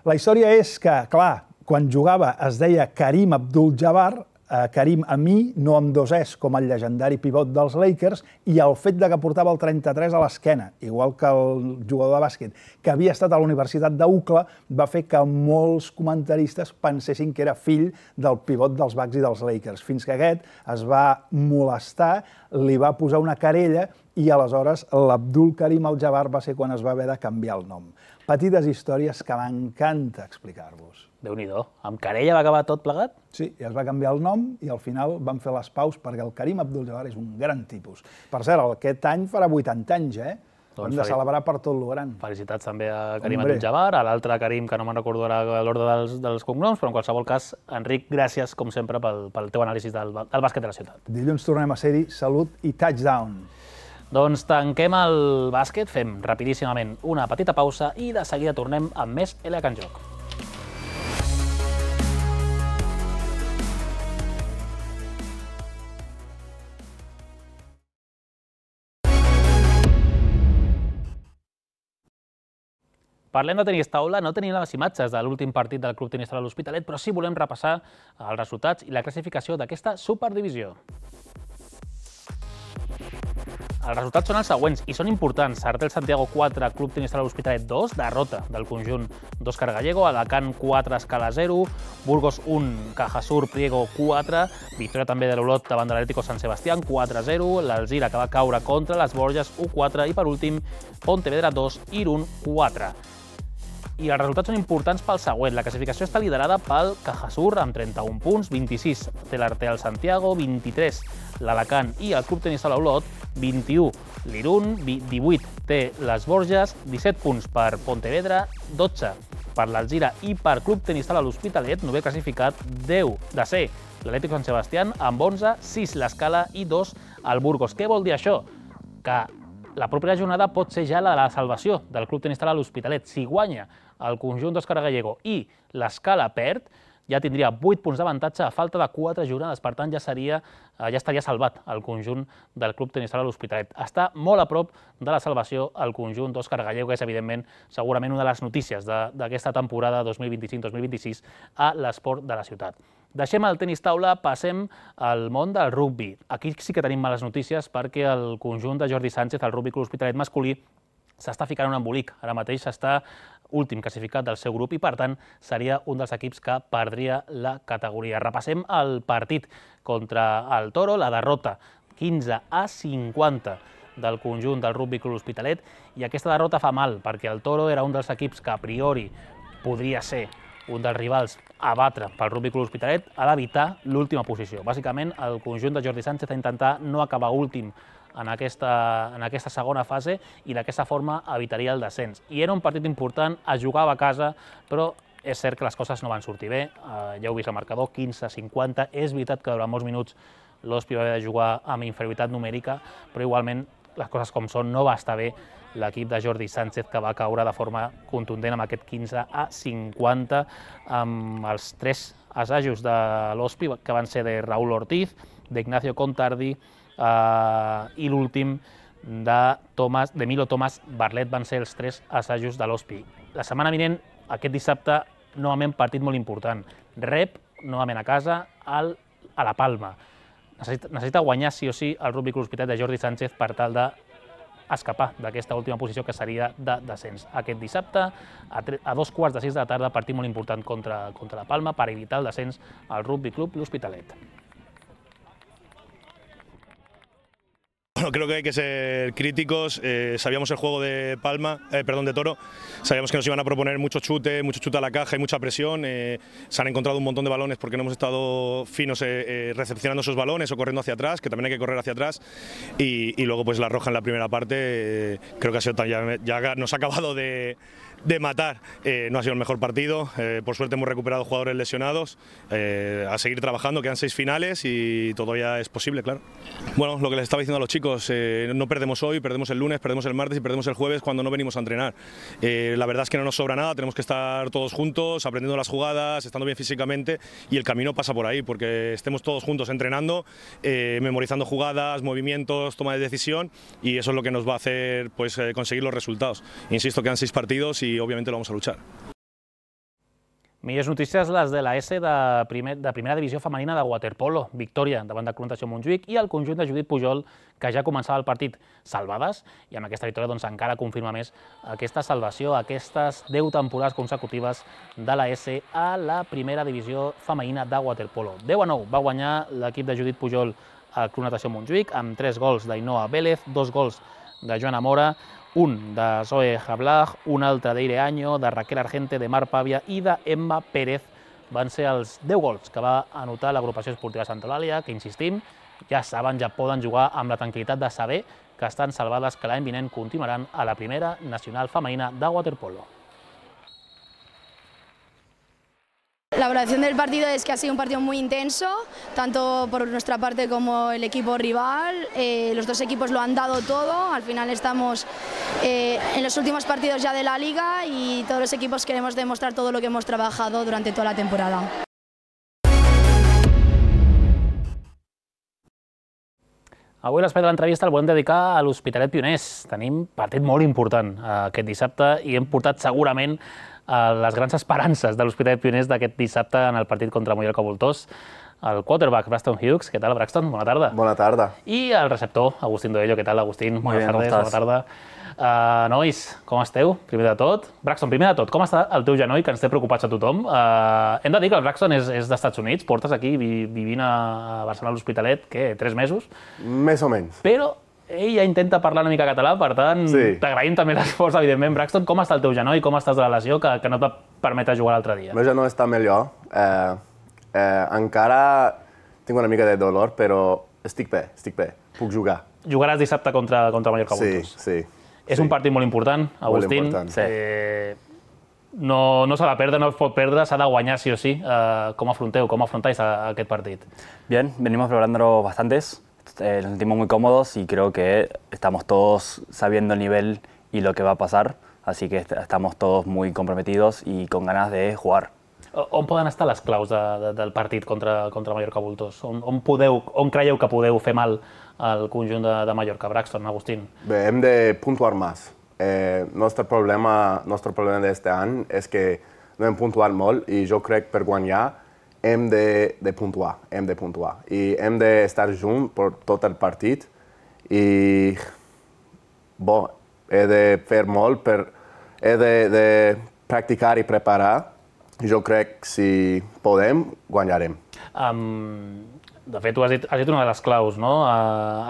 G: La història és que, clar, quan jugava es deia Karim Abdul-Jabbar, Karim Ami, no amb 2 Es, com el llegendari pivot dels Lakers, i el fet que portava el 33 a l'esquena, igual que el jugador de bàsquet, que havia estat a la Universitat d'UCLA, va fer que molts comentaristes pensessin que era fill del pivot dels Bucks i dels Lakers, fins que aquest es va molestar, li va posar una querella i aleshores l'Abdul Karim Al-Jabbar va ser quan es va haver de canviar el nom. Petites històries que m'encanta explicar-vos.
A: Déu-n'hi-do. Amb querella va acabar tot plegat?
G: Sí, i es va canviar el nom i al final van fer les paus perquè el Karim Abdul-Jabbar és un gran tipus. Per cert, aquest any farà 80 anys, eh? Hem de celebrar per tot lo gran.
A: Felicitats també a Karim Abdul-Jabbar, a l'altre Karim, que no me'n recordo ara l'ordre dels cognoms, però en qualsevol cas, Enric, gràcies, com sempre, pel teu anàlisi del bàsquet de la ciutat.
G: Dilluns tornem a ser-hi. Salut i touchdown.
A: Doncs tanquem el bàsquet, fem rapidíssimament una petita pausa i de seguida tornem amb més LH en joc. Parlem de tenis taula, no tenim les imatges de l'últim partit del Club Tenis Taula de l'Hospitalet, però sí volem repassar els resultats i la classificació d'aquesta superdivisió. Els resultats són els següents i són importants. Artel Santiago 4, Club Tenis Taula de l'Hospitalet 2, derrota del conjunt d'Òscar Gallego, Alacant 4, Escala 0, Burgos 1, Cajasur Priego 4, victòria també de l'Olot davant de l'Atlético San Sebastián 4-0, l'Alzira que va caure contra les Borges 1-4 i per últim Pontevedra 2, Irún 4. I els resultats són importants pel següent. La classificació està liderada pel Cajasur amb 31 punts, 26 té l'Artel Santiago, 23 l'Alacant i el Club Tenis Taula Olot, 21 l'Irún, 18 té les Borges, 17 punts per Pontevedra, 12 per l'Alzira i per Club Tenis Taula l'Hospitalet, novè classificat, 10 de ser l'Atlético San Sebastián amb 11, 6 l'Escala i 2 el Burgos. Què vol dir això? Que la propera jornada pot ser ja la de la salvació del Club Tenis Taula l'Hospitalet. Si guanya el conjunt d'Òscar Gallego i l'Escala perd, ja tindria 8 punts d'avantatge a falta de 4 jornades. Per tant, ja estaria salvat el conjunt del Club Tenis Taula l'Hospitalet. Està molt a prop de la salvació el conjunt d'Òscar Gallego, que és, evidentment, segurament una de les notícies d'aquesta temporada 2025-2026 a l'esport de la ciutat. Deixem el tenis taula, passem al món del rugbi. Aquí sí que tenim males notícies perquè el conjunt de Jordi Sánchez, el Rugby Club Hospitalet masculí, s'està ficant un embolic. Ara mateix està últim classificat del seu grup i, per tant, seria un dels equips que perdria la categoria. Repassem el partit contra el Toro, la derrota 15-50 del conjunt del Rugby Club Hospitalet, i aquesta derrota fa mal perquè el Toro era un dels equips que a priori podria ser un dels rivals a batre pel Rugby Club Hospitalet, ha d'evitar l'última posició. Bàsicament, el conjunt de Jordi Sánchez ha d'intentar no acabar últim en aquesta segona fase i d'aquesta forma evitaria el descens. I era un partit important, es jugava a casa, però és cert que les coses no van sortir bé. Ja heu vist el marcador, 15-50. És veritat que durant molts minuts l'Hospi va haver de jugar amb inferioritat numèrica, però igualment les coses com són, no va estar bé l'equip de Jordi Sánchez, que va caure de forma contundent amb aquest 15-50, amb els 3 assajos de l'Hospi, que van ser de Raúl Ortiz, d'Ignacio Contardi i l'últim d'Emilio Tomàs Barlet. Van ser els 3 assajos de l'Hospi. La setmana vinent, aquest dissabte, novament partit molt important. Rep, novament a casa, a la Palma. Necessita guanyar sí o sí el Rugby Club Hospitalet de Jordi Sánchez per tal d'escapar d'aquesta última posició, que seria de descens. Aquest dissabte, a 2:15 de la tarda, partit molt important contra la Palma per evitar el descens al Rugby Club L'Hospitalet.
M: Bueno, creo que hay que ser críticos. Sabíamos el juego de de Toro, sabíamos que nos iban a proponer mucho chute a la caja y mucha presión. Se han encontrado un montón de balones porque no hemos estado finos recepcionando esos balones o corriendo hacia atrás, que también hay que correr hacia atrás. Y luego pues la roja en la primera parte, creo que ha sido ya nos ha acabado de matar. No ha sido el mejor partido. Por suerte hemos recuperado jugadores lesionados. A seguir trabajando, quedan 6 finales y todavía es posible, claro. Bueno, lo que les estaba diciendo a los chicos, no perdemos hoy, perdemos el lunes, perdemos el martes y perdemos el jueves cuando no venimos a entrenar. La verdad es que no nos sobra nada, tenemos que estar todos juntos, aprendiendo las jugadas, estando bien físicamente, y el camino pasa por ahí, porque estemos todos juntos entrenando, memorizando jugadas, movimientos, toma de decisión, y eso es lo que nos va a hacer pues, conseguir los resultados. Insisto, quedan 6 partidos y obviamente lo vamos a luchar.
A: Millors notícies les de la S de primera divisió femenina de waterpolo. Victòria davant de Club Natació Montjuïc i el conjunt de Judit Pujol, que ja començava el partit salvades, i amb aquesta victòria doncs, encara confirma més aquesta salvació, aquestes 10 temporades consecutives de la S a la primera divisió femenina de waterpolo. 10-9 va guanyar l'equip de Judit Pujol al Club Natació Montjuïc, amb 3 gols d'Ainoa Vélez, 2 gols de Joana Mora, un de Zoe Jablag, un altre d'Eire Año, de Raquel Argente, de Mar Pàvia i d'Emma Pérez. Van ser els 10 gols que va anotar l'agrupació esportiva Santa Eulàlia, que, insistim, ja saben, ja poden jugar amb la tranquil·litat de saber que estan salvades, que l'any vinent continuaran a la primera nacional femenina de waterpolo.
N: La valoración del partido es que ha sido un partido muy intenso, tanto por nuestra parte como el equipo rival. Los dos equipos lo han dado todo. Al final estamos en los últimos partidos ya de la liga y todos los equipos queremos demostrar todo lo que hemos trabajado durante toda la temporada.
A: Avui l'espai de l'entrevista el volem dedicar a l'Hospitalet Pioners. Tenim partit molt important aquest dissabte i hem portat segurament les grans esperances de l'Hospitalet Pioners d'aquest dissabte en el partit contra Mallorca Voltors. El quarterback, Braxton Hughes. Què tal, Braxton? Bona tarda.
O: Bona tarda.
A: I el receptor, Agustín Doello. Què tal, Agustín? Bona tarda. Nois, com esteu? Primer de tot. Braxton, primer de tot, com està el teu genoll, que ens té preocupats a tothom? Hem de dir que el Braxton és dels Estats Units, portes aquí vivint a Barcelona a l'Hospitalet, què, 3 mesos?
O: Més o menys.
A: Però ell ja intenta parlar una mica català, per tant, t'agraïm també l'esforç, evidentment. Braxton, com està el teu genoll, com estàs de la lesió que no et va permetre jugar l'altre dia?
O: El meu genoll està millor. Encara tinc una mica de dolor, però estic bé. Puc jugar.
A: Jugaràs dissabte contra Mallorca Voltors?
O: Sí.
A: És un partit molt important, Agustín.
O: Molt important.
A: No s'ha de perdre, no es pot perdre, s'ha de guanyar sí o sí. ¿Cómo afrontáis aquest partit?
P: Bien, venimos preparándolo bastantes. Nos sentimos muy cómodos y creo que estamos todos sabiendo el nivel y lo que va a pasar. Así que estamos todos muy comprometidos y con ganas de jugar.
A: On poden estar les claus del partit contra Mallorca Voltors? On creieu que podeu fer mal al conjunt de Mallorca? Braxton, Agustín.
O: Bé, hem de puntuar més. Nostre problema d'aquest any és que no hem puntuat molt i jo crec per guanyar hem de puntuar. I hem d'estar junts per tot el partit i he de fer molt, he de practicar i preparar. Jo crec que si podem, guanyarem.
A: De fet, tu has dit una de les claus, no?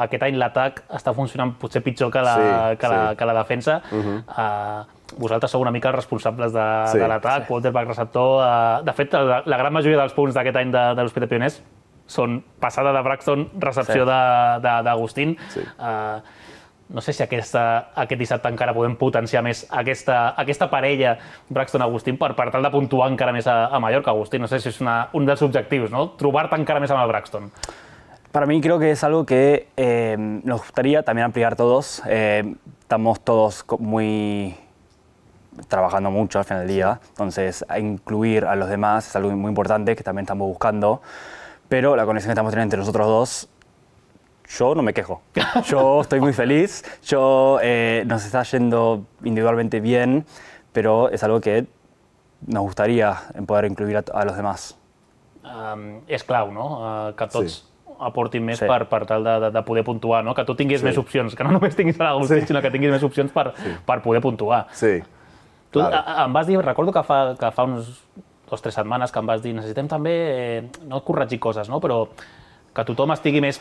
A: Aquest any l'atac està funcionant potser pitjor que la defensa. Vosaltres sou una mica els responsables de l'atac, quarterback, receptor. De fet, la gran majoria dels punts d'aquest any de l'Hospitalet Pioners són passada de Braxton, recepció d'Agustín. No sé si aquest dissabte encara podem potenciar més aquesta parella Braxton-Agustín per tal de puntuar encara més a Mallorca. Agustín, no sé si és un dels objectius, ¿no? Trobar-te encara més amb el Braxton.
P: Para mí creo que es algo que nos gustaría también ampliar todos. Estamos todos trabajando mucho al final del día, entonces incluir a los demás es algo muy importante que también estamos buscando, pero la conexión que estamos teniendo entre nosotros dos, yo no me quejo. Yo estoy muy feliz, nos está yendo individualmente bien, pero es algo que nos gustaría poder incluir a los demás.
A: És clau, no? Que tots aportin més per tal de poder puntuar, no? Que tu tinguis més opcions, que no només tinguis l'Agustín, sinó que tinguis més opcions per poder puntuar.
O: Sí.
A: Tu em vas dir, recordo que fa uns 2 o 3 setmanes que em vas dir necessitem també, no corregir coses, no? Però que tothom estigui més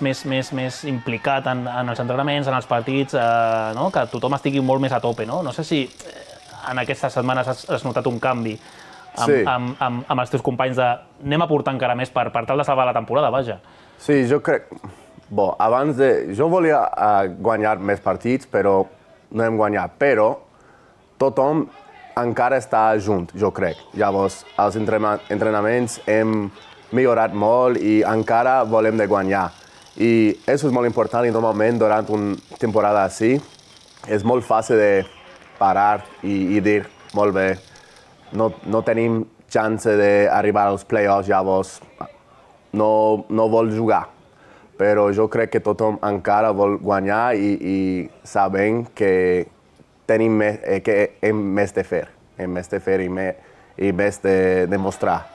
A: implicat en els entrenaments, en els partits, que tothom estigui molt més a tope. No sé si en aquestes setmanes has notat un canvi amb els teus companys de anem a portar encara més per tal de salvar la temporada, vaja.
O: Sí, jo crec... Jo volia guanyar més partits, però no hem guanyat. Però tothom encara està junt, jo crec. Llavors, als entrenaments hem millorat molt i encara volem de guanyar. I això és molt important i normalment durant una temporada així és molt fàcil de parar i dir molt bé, no tenim chance d'arribar als playoffs, llavors no vol jugar. Però jo crec que tothom encara vol guanyar i sabem que tenim més de fer i més de demostrar.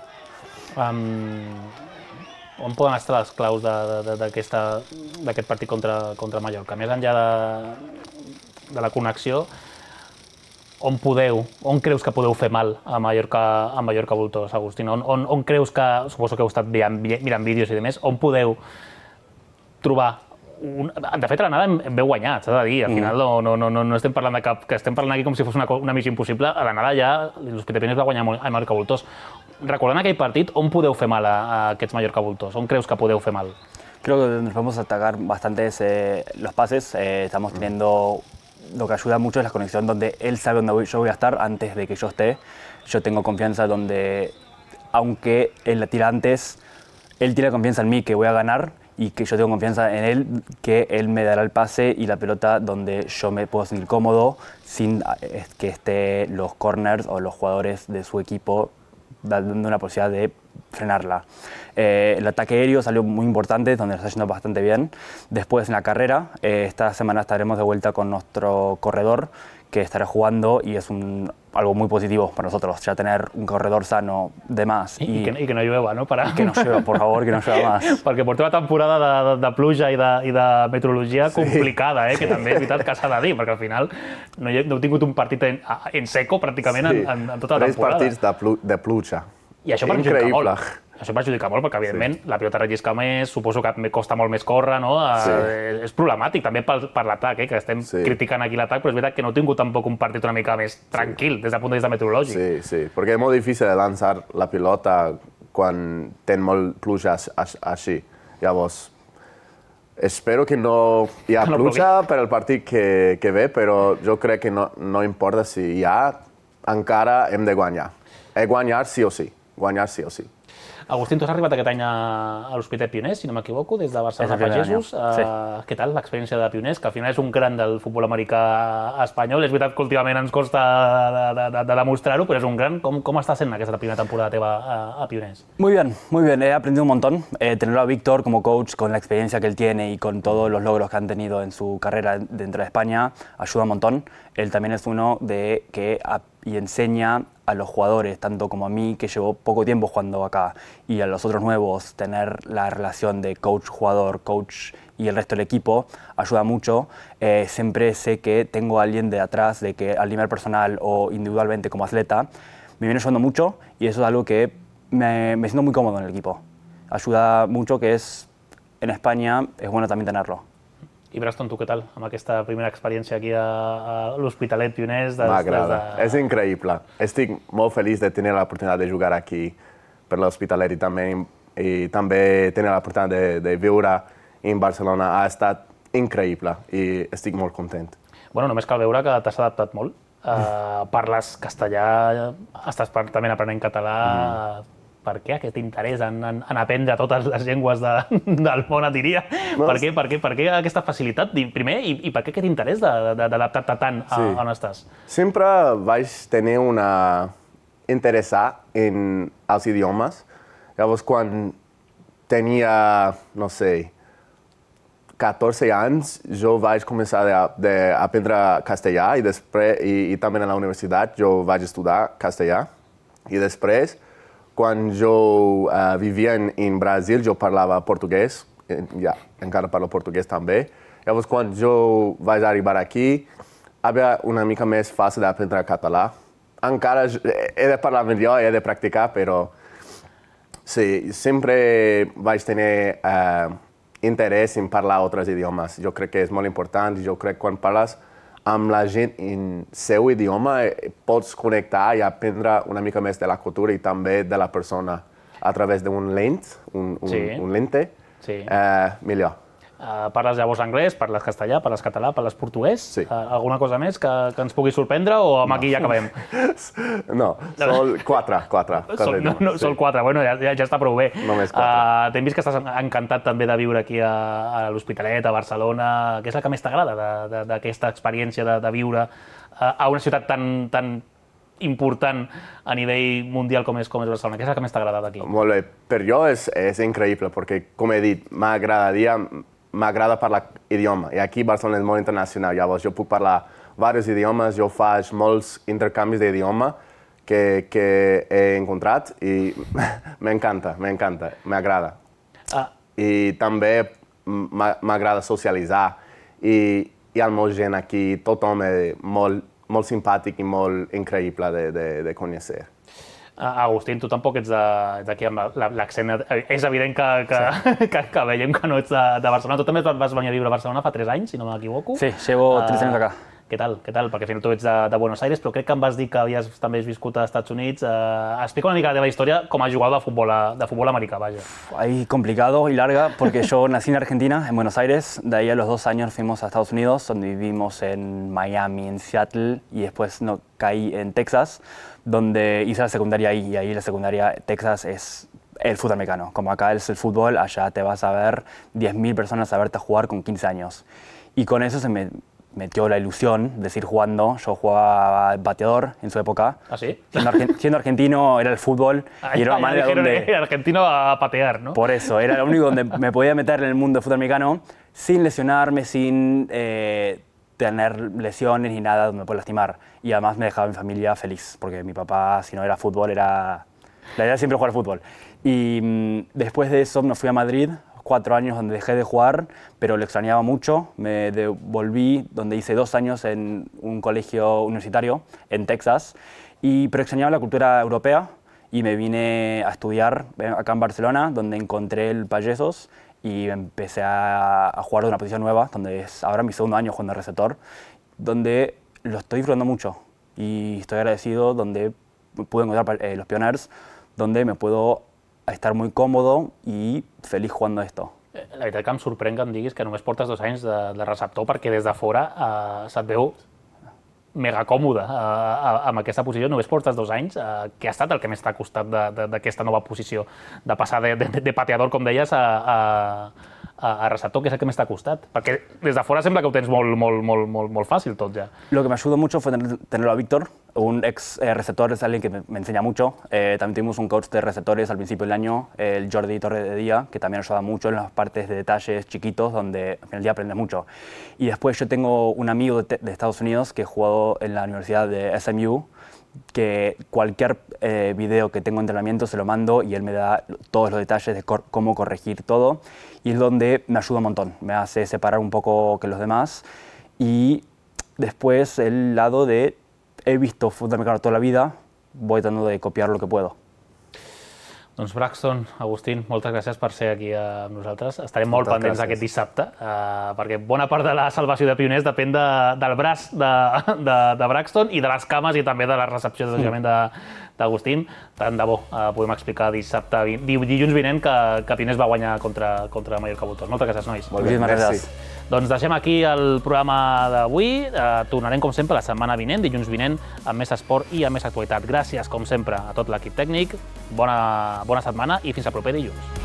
A: On poden estar les claus d'aquest partit contra Mallorca? Més enllà de la connexió, on creus que podeu fer mal a Mallorca Voltors, Agustín? On creus que, suposo que heu estat mirant vídeos i demés, on podeu trobar? De fet, a l'anada hem veu guanyat, s'ha de dir. Al final no estem parlant de cap... que estem parlant aquí com si fos una missió impossible. A l'anada ja l'Hospitalet Pioners va guanyar a Mallorca Voltors. Recordant aquell partit, on podeu fer mal a aquests Mallorca Voltors? On creus que podeu fer mal?
P: Creo que nos podemos atacar bastantes los pases. Estamos teniendo... Lo que ayuda mucho es la conexión donde él sabe dónde yo voy a estar antes de que yo esté. Yo tengo confianza donde, aunque él la tira antes, él tiene confianza en mí que voy a ganar y que yo tengo confianza en él, que él me dará el pase y la pelota donde yo me puedo sentir cómodo sin que estén los corners o los jugadores de su equipo dando una posibilidad de frenarla. El ataque aéreo salió muy importante, donde nos está yendo bastante bien. Después en la carrera, esta semana estaremos de vuelta con nuestro corredor, que estará jugando y es algo muy positivo para nosotros, ya tener un corredor sano de más.
A: I que no llueva, no?
P: Que no llueva, por favor, que no llueva más.
A: Perquè portem una temporada de pluja i de meteorologia complicada, que també és veritat que s'ha de dir, perquè al final no heu tingut un partit en seco pràcticament en tota la temporada.
O: 3 partits de pluja.
A: I això perjudica molt. Això perjudica molt perquè, evidentment, la pilota rellisca més, suposo que costa molt més córrer, no? És problemàtic també per l'atac, que estem criticant aquí l'atac, però és veritat que no heu tingut tampoc un partit una mica més tranquil des del punt de vista meteorològic.
O: Sí, perquè és molt difícil de lançar la pilota quan ten molt pluja així. Llavors, espero que no hi ha pluja per al partit que ve, però jo crec que no importa si hi ha, encara hem de guanyar. Guanyar sí o sí. Guanyar sí o sí.
A: Agustín, tu has arribat aquest any a l'Hospitalet Pioners, si no m'equivoco, des de Barcelona Pagesos. Què tal l'experiència de Pioners, que al final és un gran del futbol americà espanyol? És veritat que últimament ens costa de demostrar-ho, però és un gran. ¿Cómo está siendo esta primera temporada teva a Pioners?
P: Muy bien, muy bien. He aprendido un montón. Tenerlo a Víctor como coach, con la experiencia que él tiene y con todos los logros que han tenido en su carrera dentro de España, ayuda un montón. Él también es uno que enseña a los jugadores, tanto como a mí, que llevo poco tiempo jugando acá, y a los otros nuevos, tener la relación de coach-jugador, coach y el resto del equipo, ayuda mucho. Siempre sé que tengo a alguien de atrás, de que al nivel personal o individualmente como atleta, me viene ayudando mucho, y eso es algo que me siento muy cómodo en el equipo. Ayuda mucho, que en España es bueno también tenerlo.
A: I Braston, tu què tal, amb aquesta primera experiència aquí a l'Hospitalet Pioners?
O: M'agrada, és increïble. Estic molt feliç de tenir l'oportunitat de jugar aquí per l'Hospitalet i també tenir l'oportunitat de viure en Barcelona. Ha estat increïble i estic molt content.
A: Bueno, només cal veure que t'has adaptat molt. Parles castellà, estàs també aprenent català. Per què aquest interès en aprendre totes les llengües del món, et diria? Per què aquesta facilitat, primer, i per què aquest interès d'adaptar-te tant on estàs?
O: Sempre vaig tenir interessar en els idiomes. Llavors, quan tenia, no sé, 14 anys, jo vaig començar a aprendre castellà i també a la universitat jo vaig estudiar castellà. I després, quan jo vivia en Brasil, jo parlava portuguès, encara parlo portuguès també. Llavors, quan jo vaig arribar aquí, havia una mica més fàcil d'aprendre català. Encara he de parlar millor, he de practicar, però sí, sempre vaig tenir interès en parlar altres idiomes. Jo crec que és molt important, jo crec que quan parles amb la gent en seu idioma pots connectar i aprendre una mica més de la cultura i també de la persona a través d'un lente, millor.
A: Parles llavors anglès, parles castellà, parles català, parles portuguès?
O: Sí.
A: Alguna cosa més que ens pugui sorprendre o amb aquí ja acabem?
O: No, sol 4.
A: Sol 4, bueno, ja està prou bé.
O: Només 4.
A: T'hem vist que estàs encantat també de viure aquí a l'Hospitalet, a Barcelona. Què és el que més t'agrada d'aquesta experiència de viure a una ciutat tan important a nivell mundial com és Barcelona? Què és el que més t'agrada d'aquí?
O: Molt bé, per jo és increïble, perquè, com he dit, m'agrada parlar idioma, i aquí Barcelona és molt internacional, llavors jo puc parlar diversos idiomes, jo faig molts intercanvis d'idioma que he encontrat i m'encanta, m'agrada. I també m'agrada socialitzar i el meu gent aquí, tothom és molt simpàtic i molt increïble de conèixer.
A: Agustín, tu tampoc ets d'aquí amb l'accent. És evident que veiem que no ets de Barcelona. Tu també vas venir a viure a Barcelona fa 3 anys, si no m'equivoco.
P: Sí, llevo 3 años acá.
A: Què tal? Perquè al final tu ets de Buenos Aires, però crec que em vas dir que havies també viscut als Estats Units. Explica una mica la teva història com a jugador de futbol americà, vaja.
P: Ahí complicado y larga, porque yo nací en Argentina, en Buenos Aires. De ahí a los 2 años fuimos a Estados Unidos, donde vivimos en Miami, en Seattle, y después caí en Texas, donde hice la secundaria ahí. Y ahí la secundaria, Texas, es el fútbol americano. Como acá es el fútbol, allá te vas a ver 10.000 personas a verte jugar con 15 años. Y con eso se me metió la ilusión de seguir jugando. Yo jugaba bateador en su época.
A: ¿Ah, sí?
P: Siendo argentino era el fútbol y era una manera donde...
A: argentino a patear, ¿no?
P: Por eso, era lo único donde me podía meter en el mundo del fútbol americano sin lesionarme, sin tener lesiones ni nada donde me pueda lastimar. Y además me dejaba mi familia feliz, porque mi papá, si no era fútbol, la idea era siempre jugar fútbol. Y después de eso me fui a Madrid, 4 años donde dejé de jugar, pero lo extrañaba mucho. Me devolví, donde hice 2 años en un colegio universitario en Texas, pero extrañaba la cultura europea y me vine a estudiar acá en Barcelona, donde encontré el Payesos y empecé a jugar de una posición nueva, donde es ahora mi segundo año jugando de receptor, donde lo estoy disfrutando mucho y estoy agradecido, donde pude encontrar los Pioners, donde me puedo estar muy còmode i feliç jugant esto.
A: La veritat que em sorprèn que em diguis que només portes 2 anys de receptor, perquè des de fora se't veu mega còmode amb aquesta posició. Només portes 2 anys. Què ha estat el que més t'ha costat d'aquesta nova posició? De passar de pateador, com deies, a receptor, que és el que més t'ha costat? Perquè des de fora sembla que ho tens molt fàcil tot ja.
P: Lo que me ayudó mucho fue tenerlo a Víctor, un ex receptor, es alguien que me enseña mucho. También tuvimos un coach de receptores al principio del año, el Jordi Torre de Día, que también ayuda mucho en las partes de detalles chiquitos donde al final del día aprendes mucho. Y después yo tengo un amigo de Estados Unidos que jugó en la Universidad de SMU, que cualquier video que tengo de entrenamiento se lo mando y él me da todos los detalles de cómo corregir todo, y es donde me ayuda un montón, me hace separar un poco que los demás. Y después el lado de he visto fútbol americano toda la vida, voy tratando de copiar lo que puedo.
A: Doncs Braxton, Agustín, moltes gràcies per ser aquí amb nosaltres. Estarem molt pendents aquest dissabte, perquè bona part de la salvació de Pioners depèn del braç de Braxton i de les cames i també de la recepció d'Agustín. Tant de bo podem explicar dilluns vinent que Pioners va guanyar contra Mallorca Bulldogs. Moltes gràcies, nois.
P: Moltíssimes gràcies.
A: Doncs deixem aquí el programa d'avui. Tornarem, com sempre, la setmana vinent, dilluns vinent, amb més esport i amb més actualitat. Gràcies, com sempre, a tot l'equip tècnic. Bona setmana i fins al proper dilluns.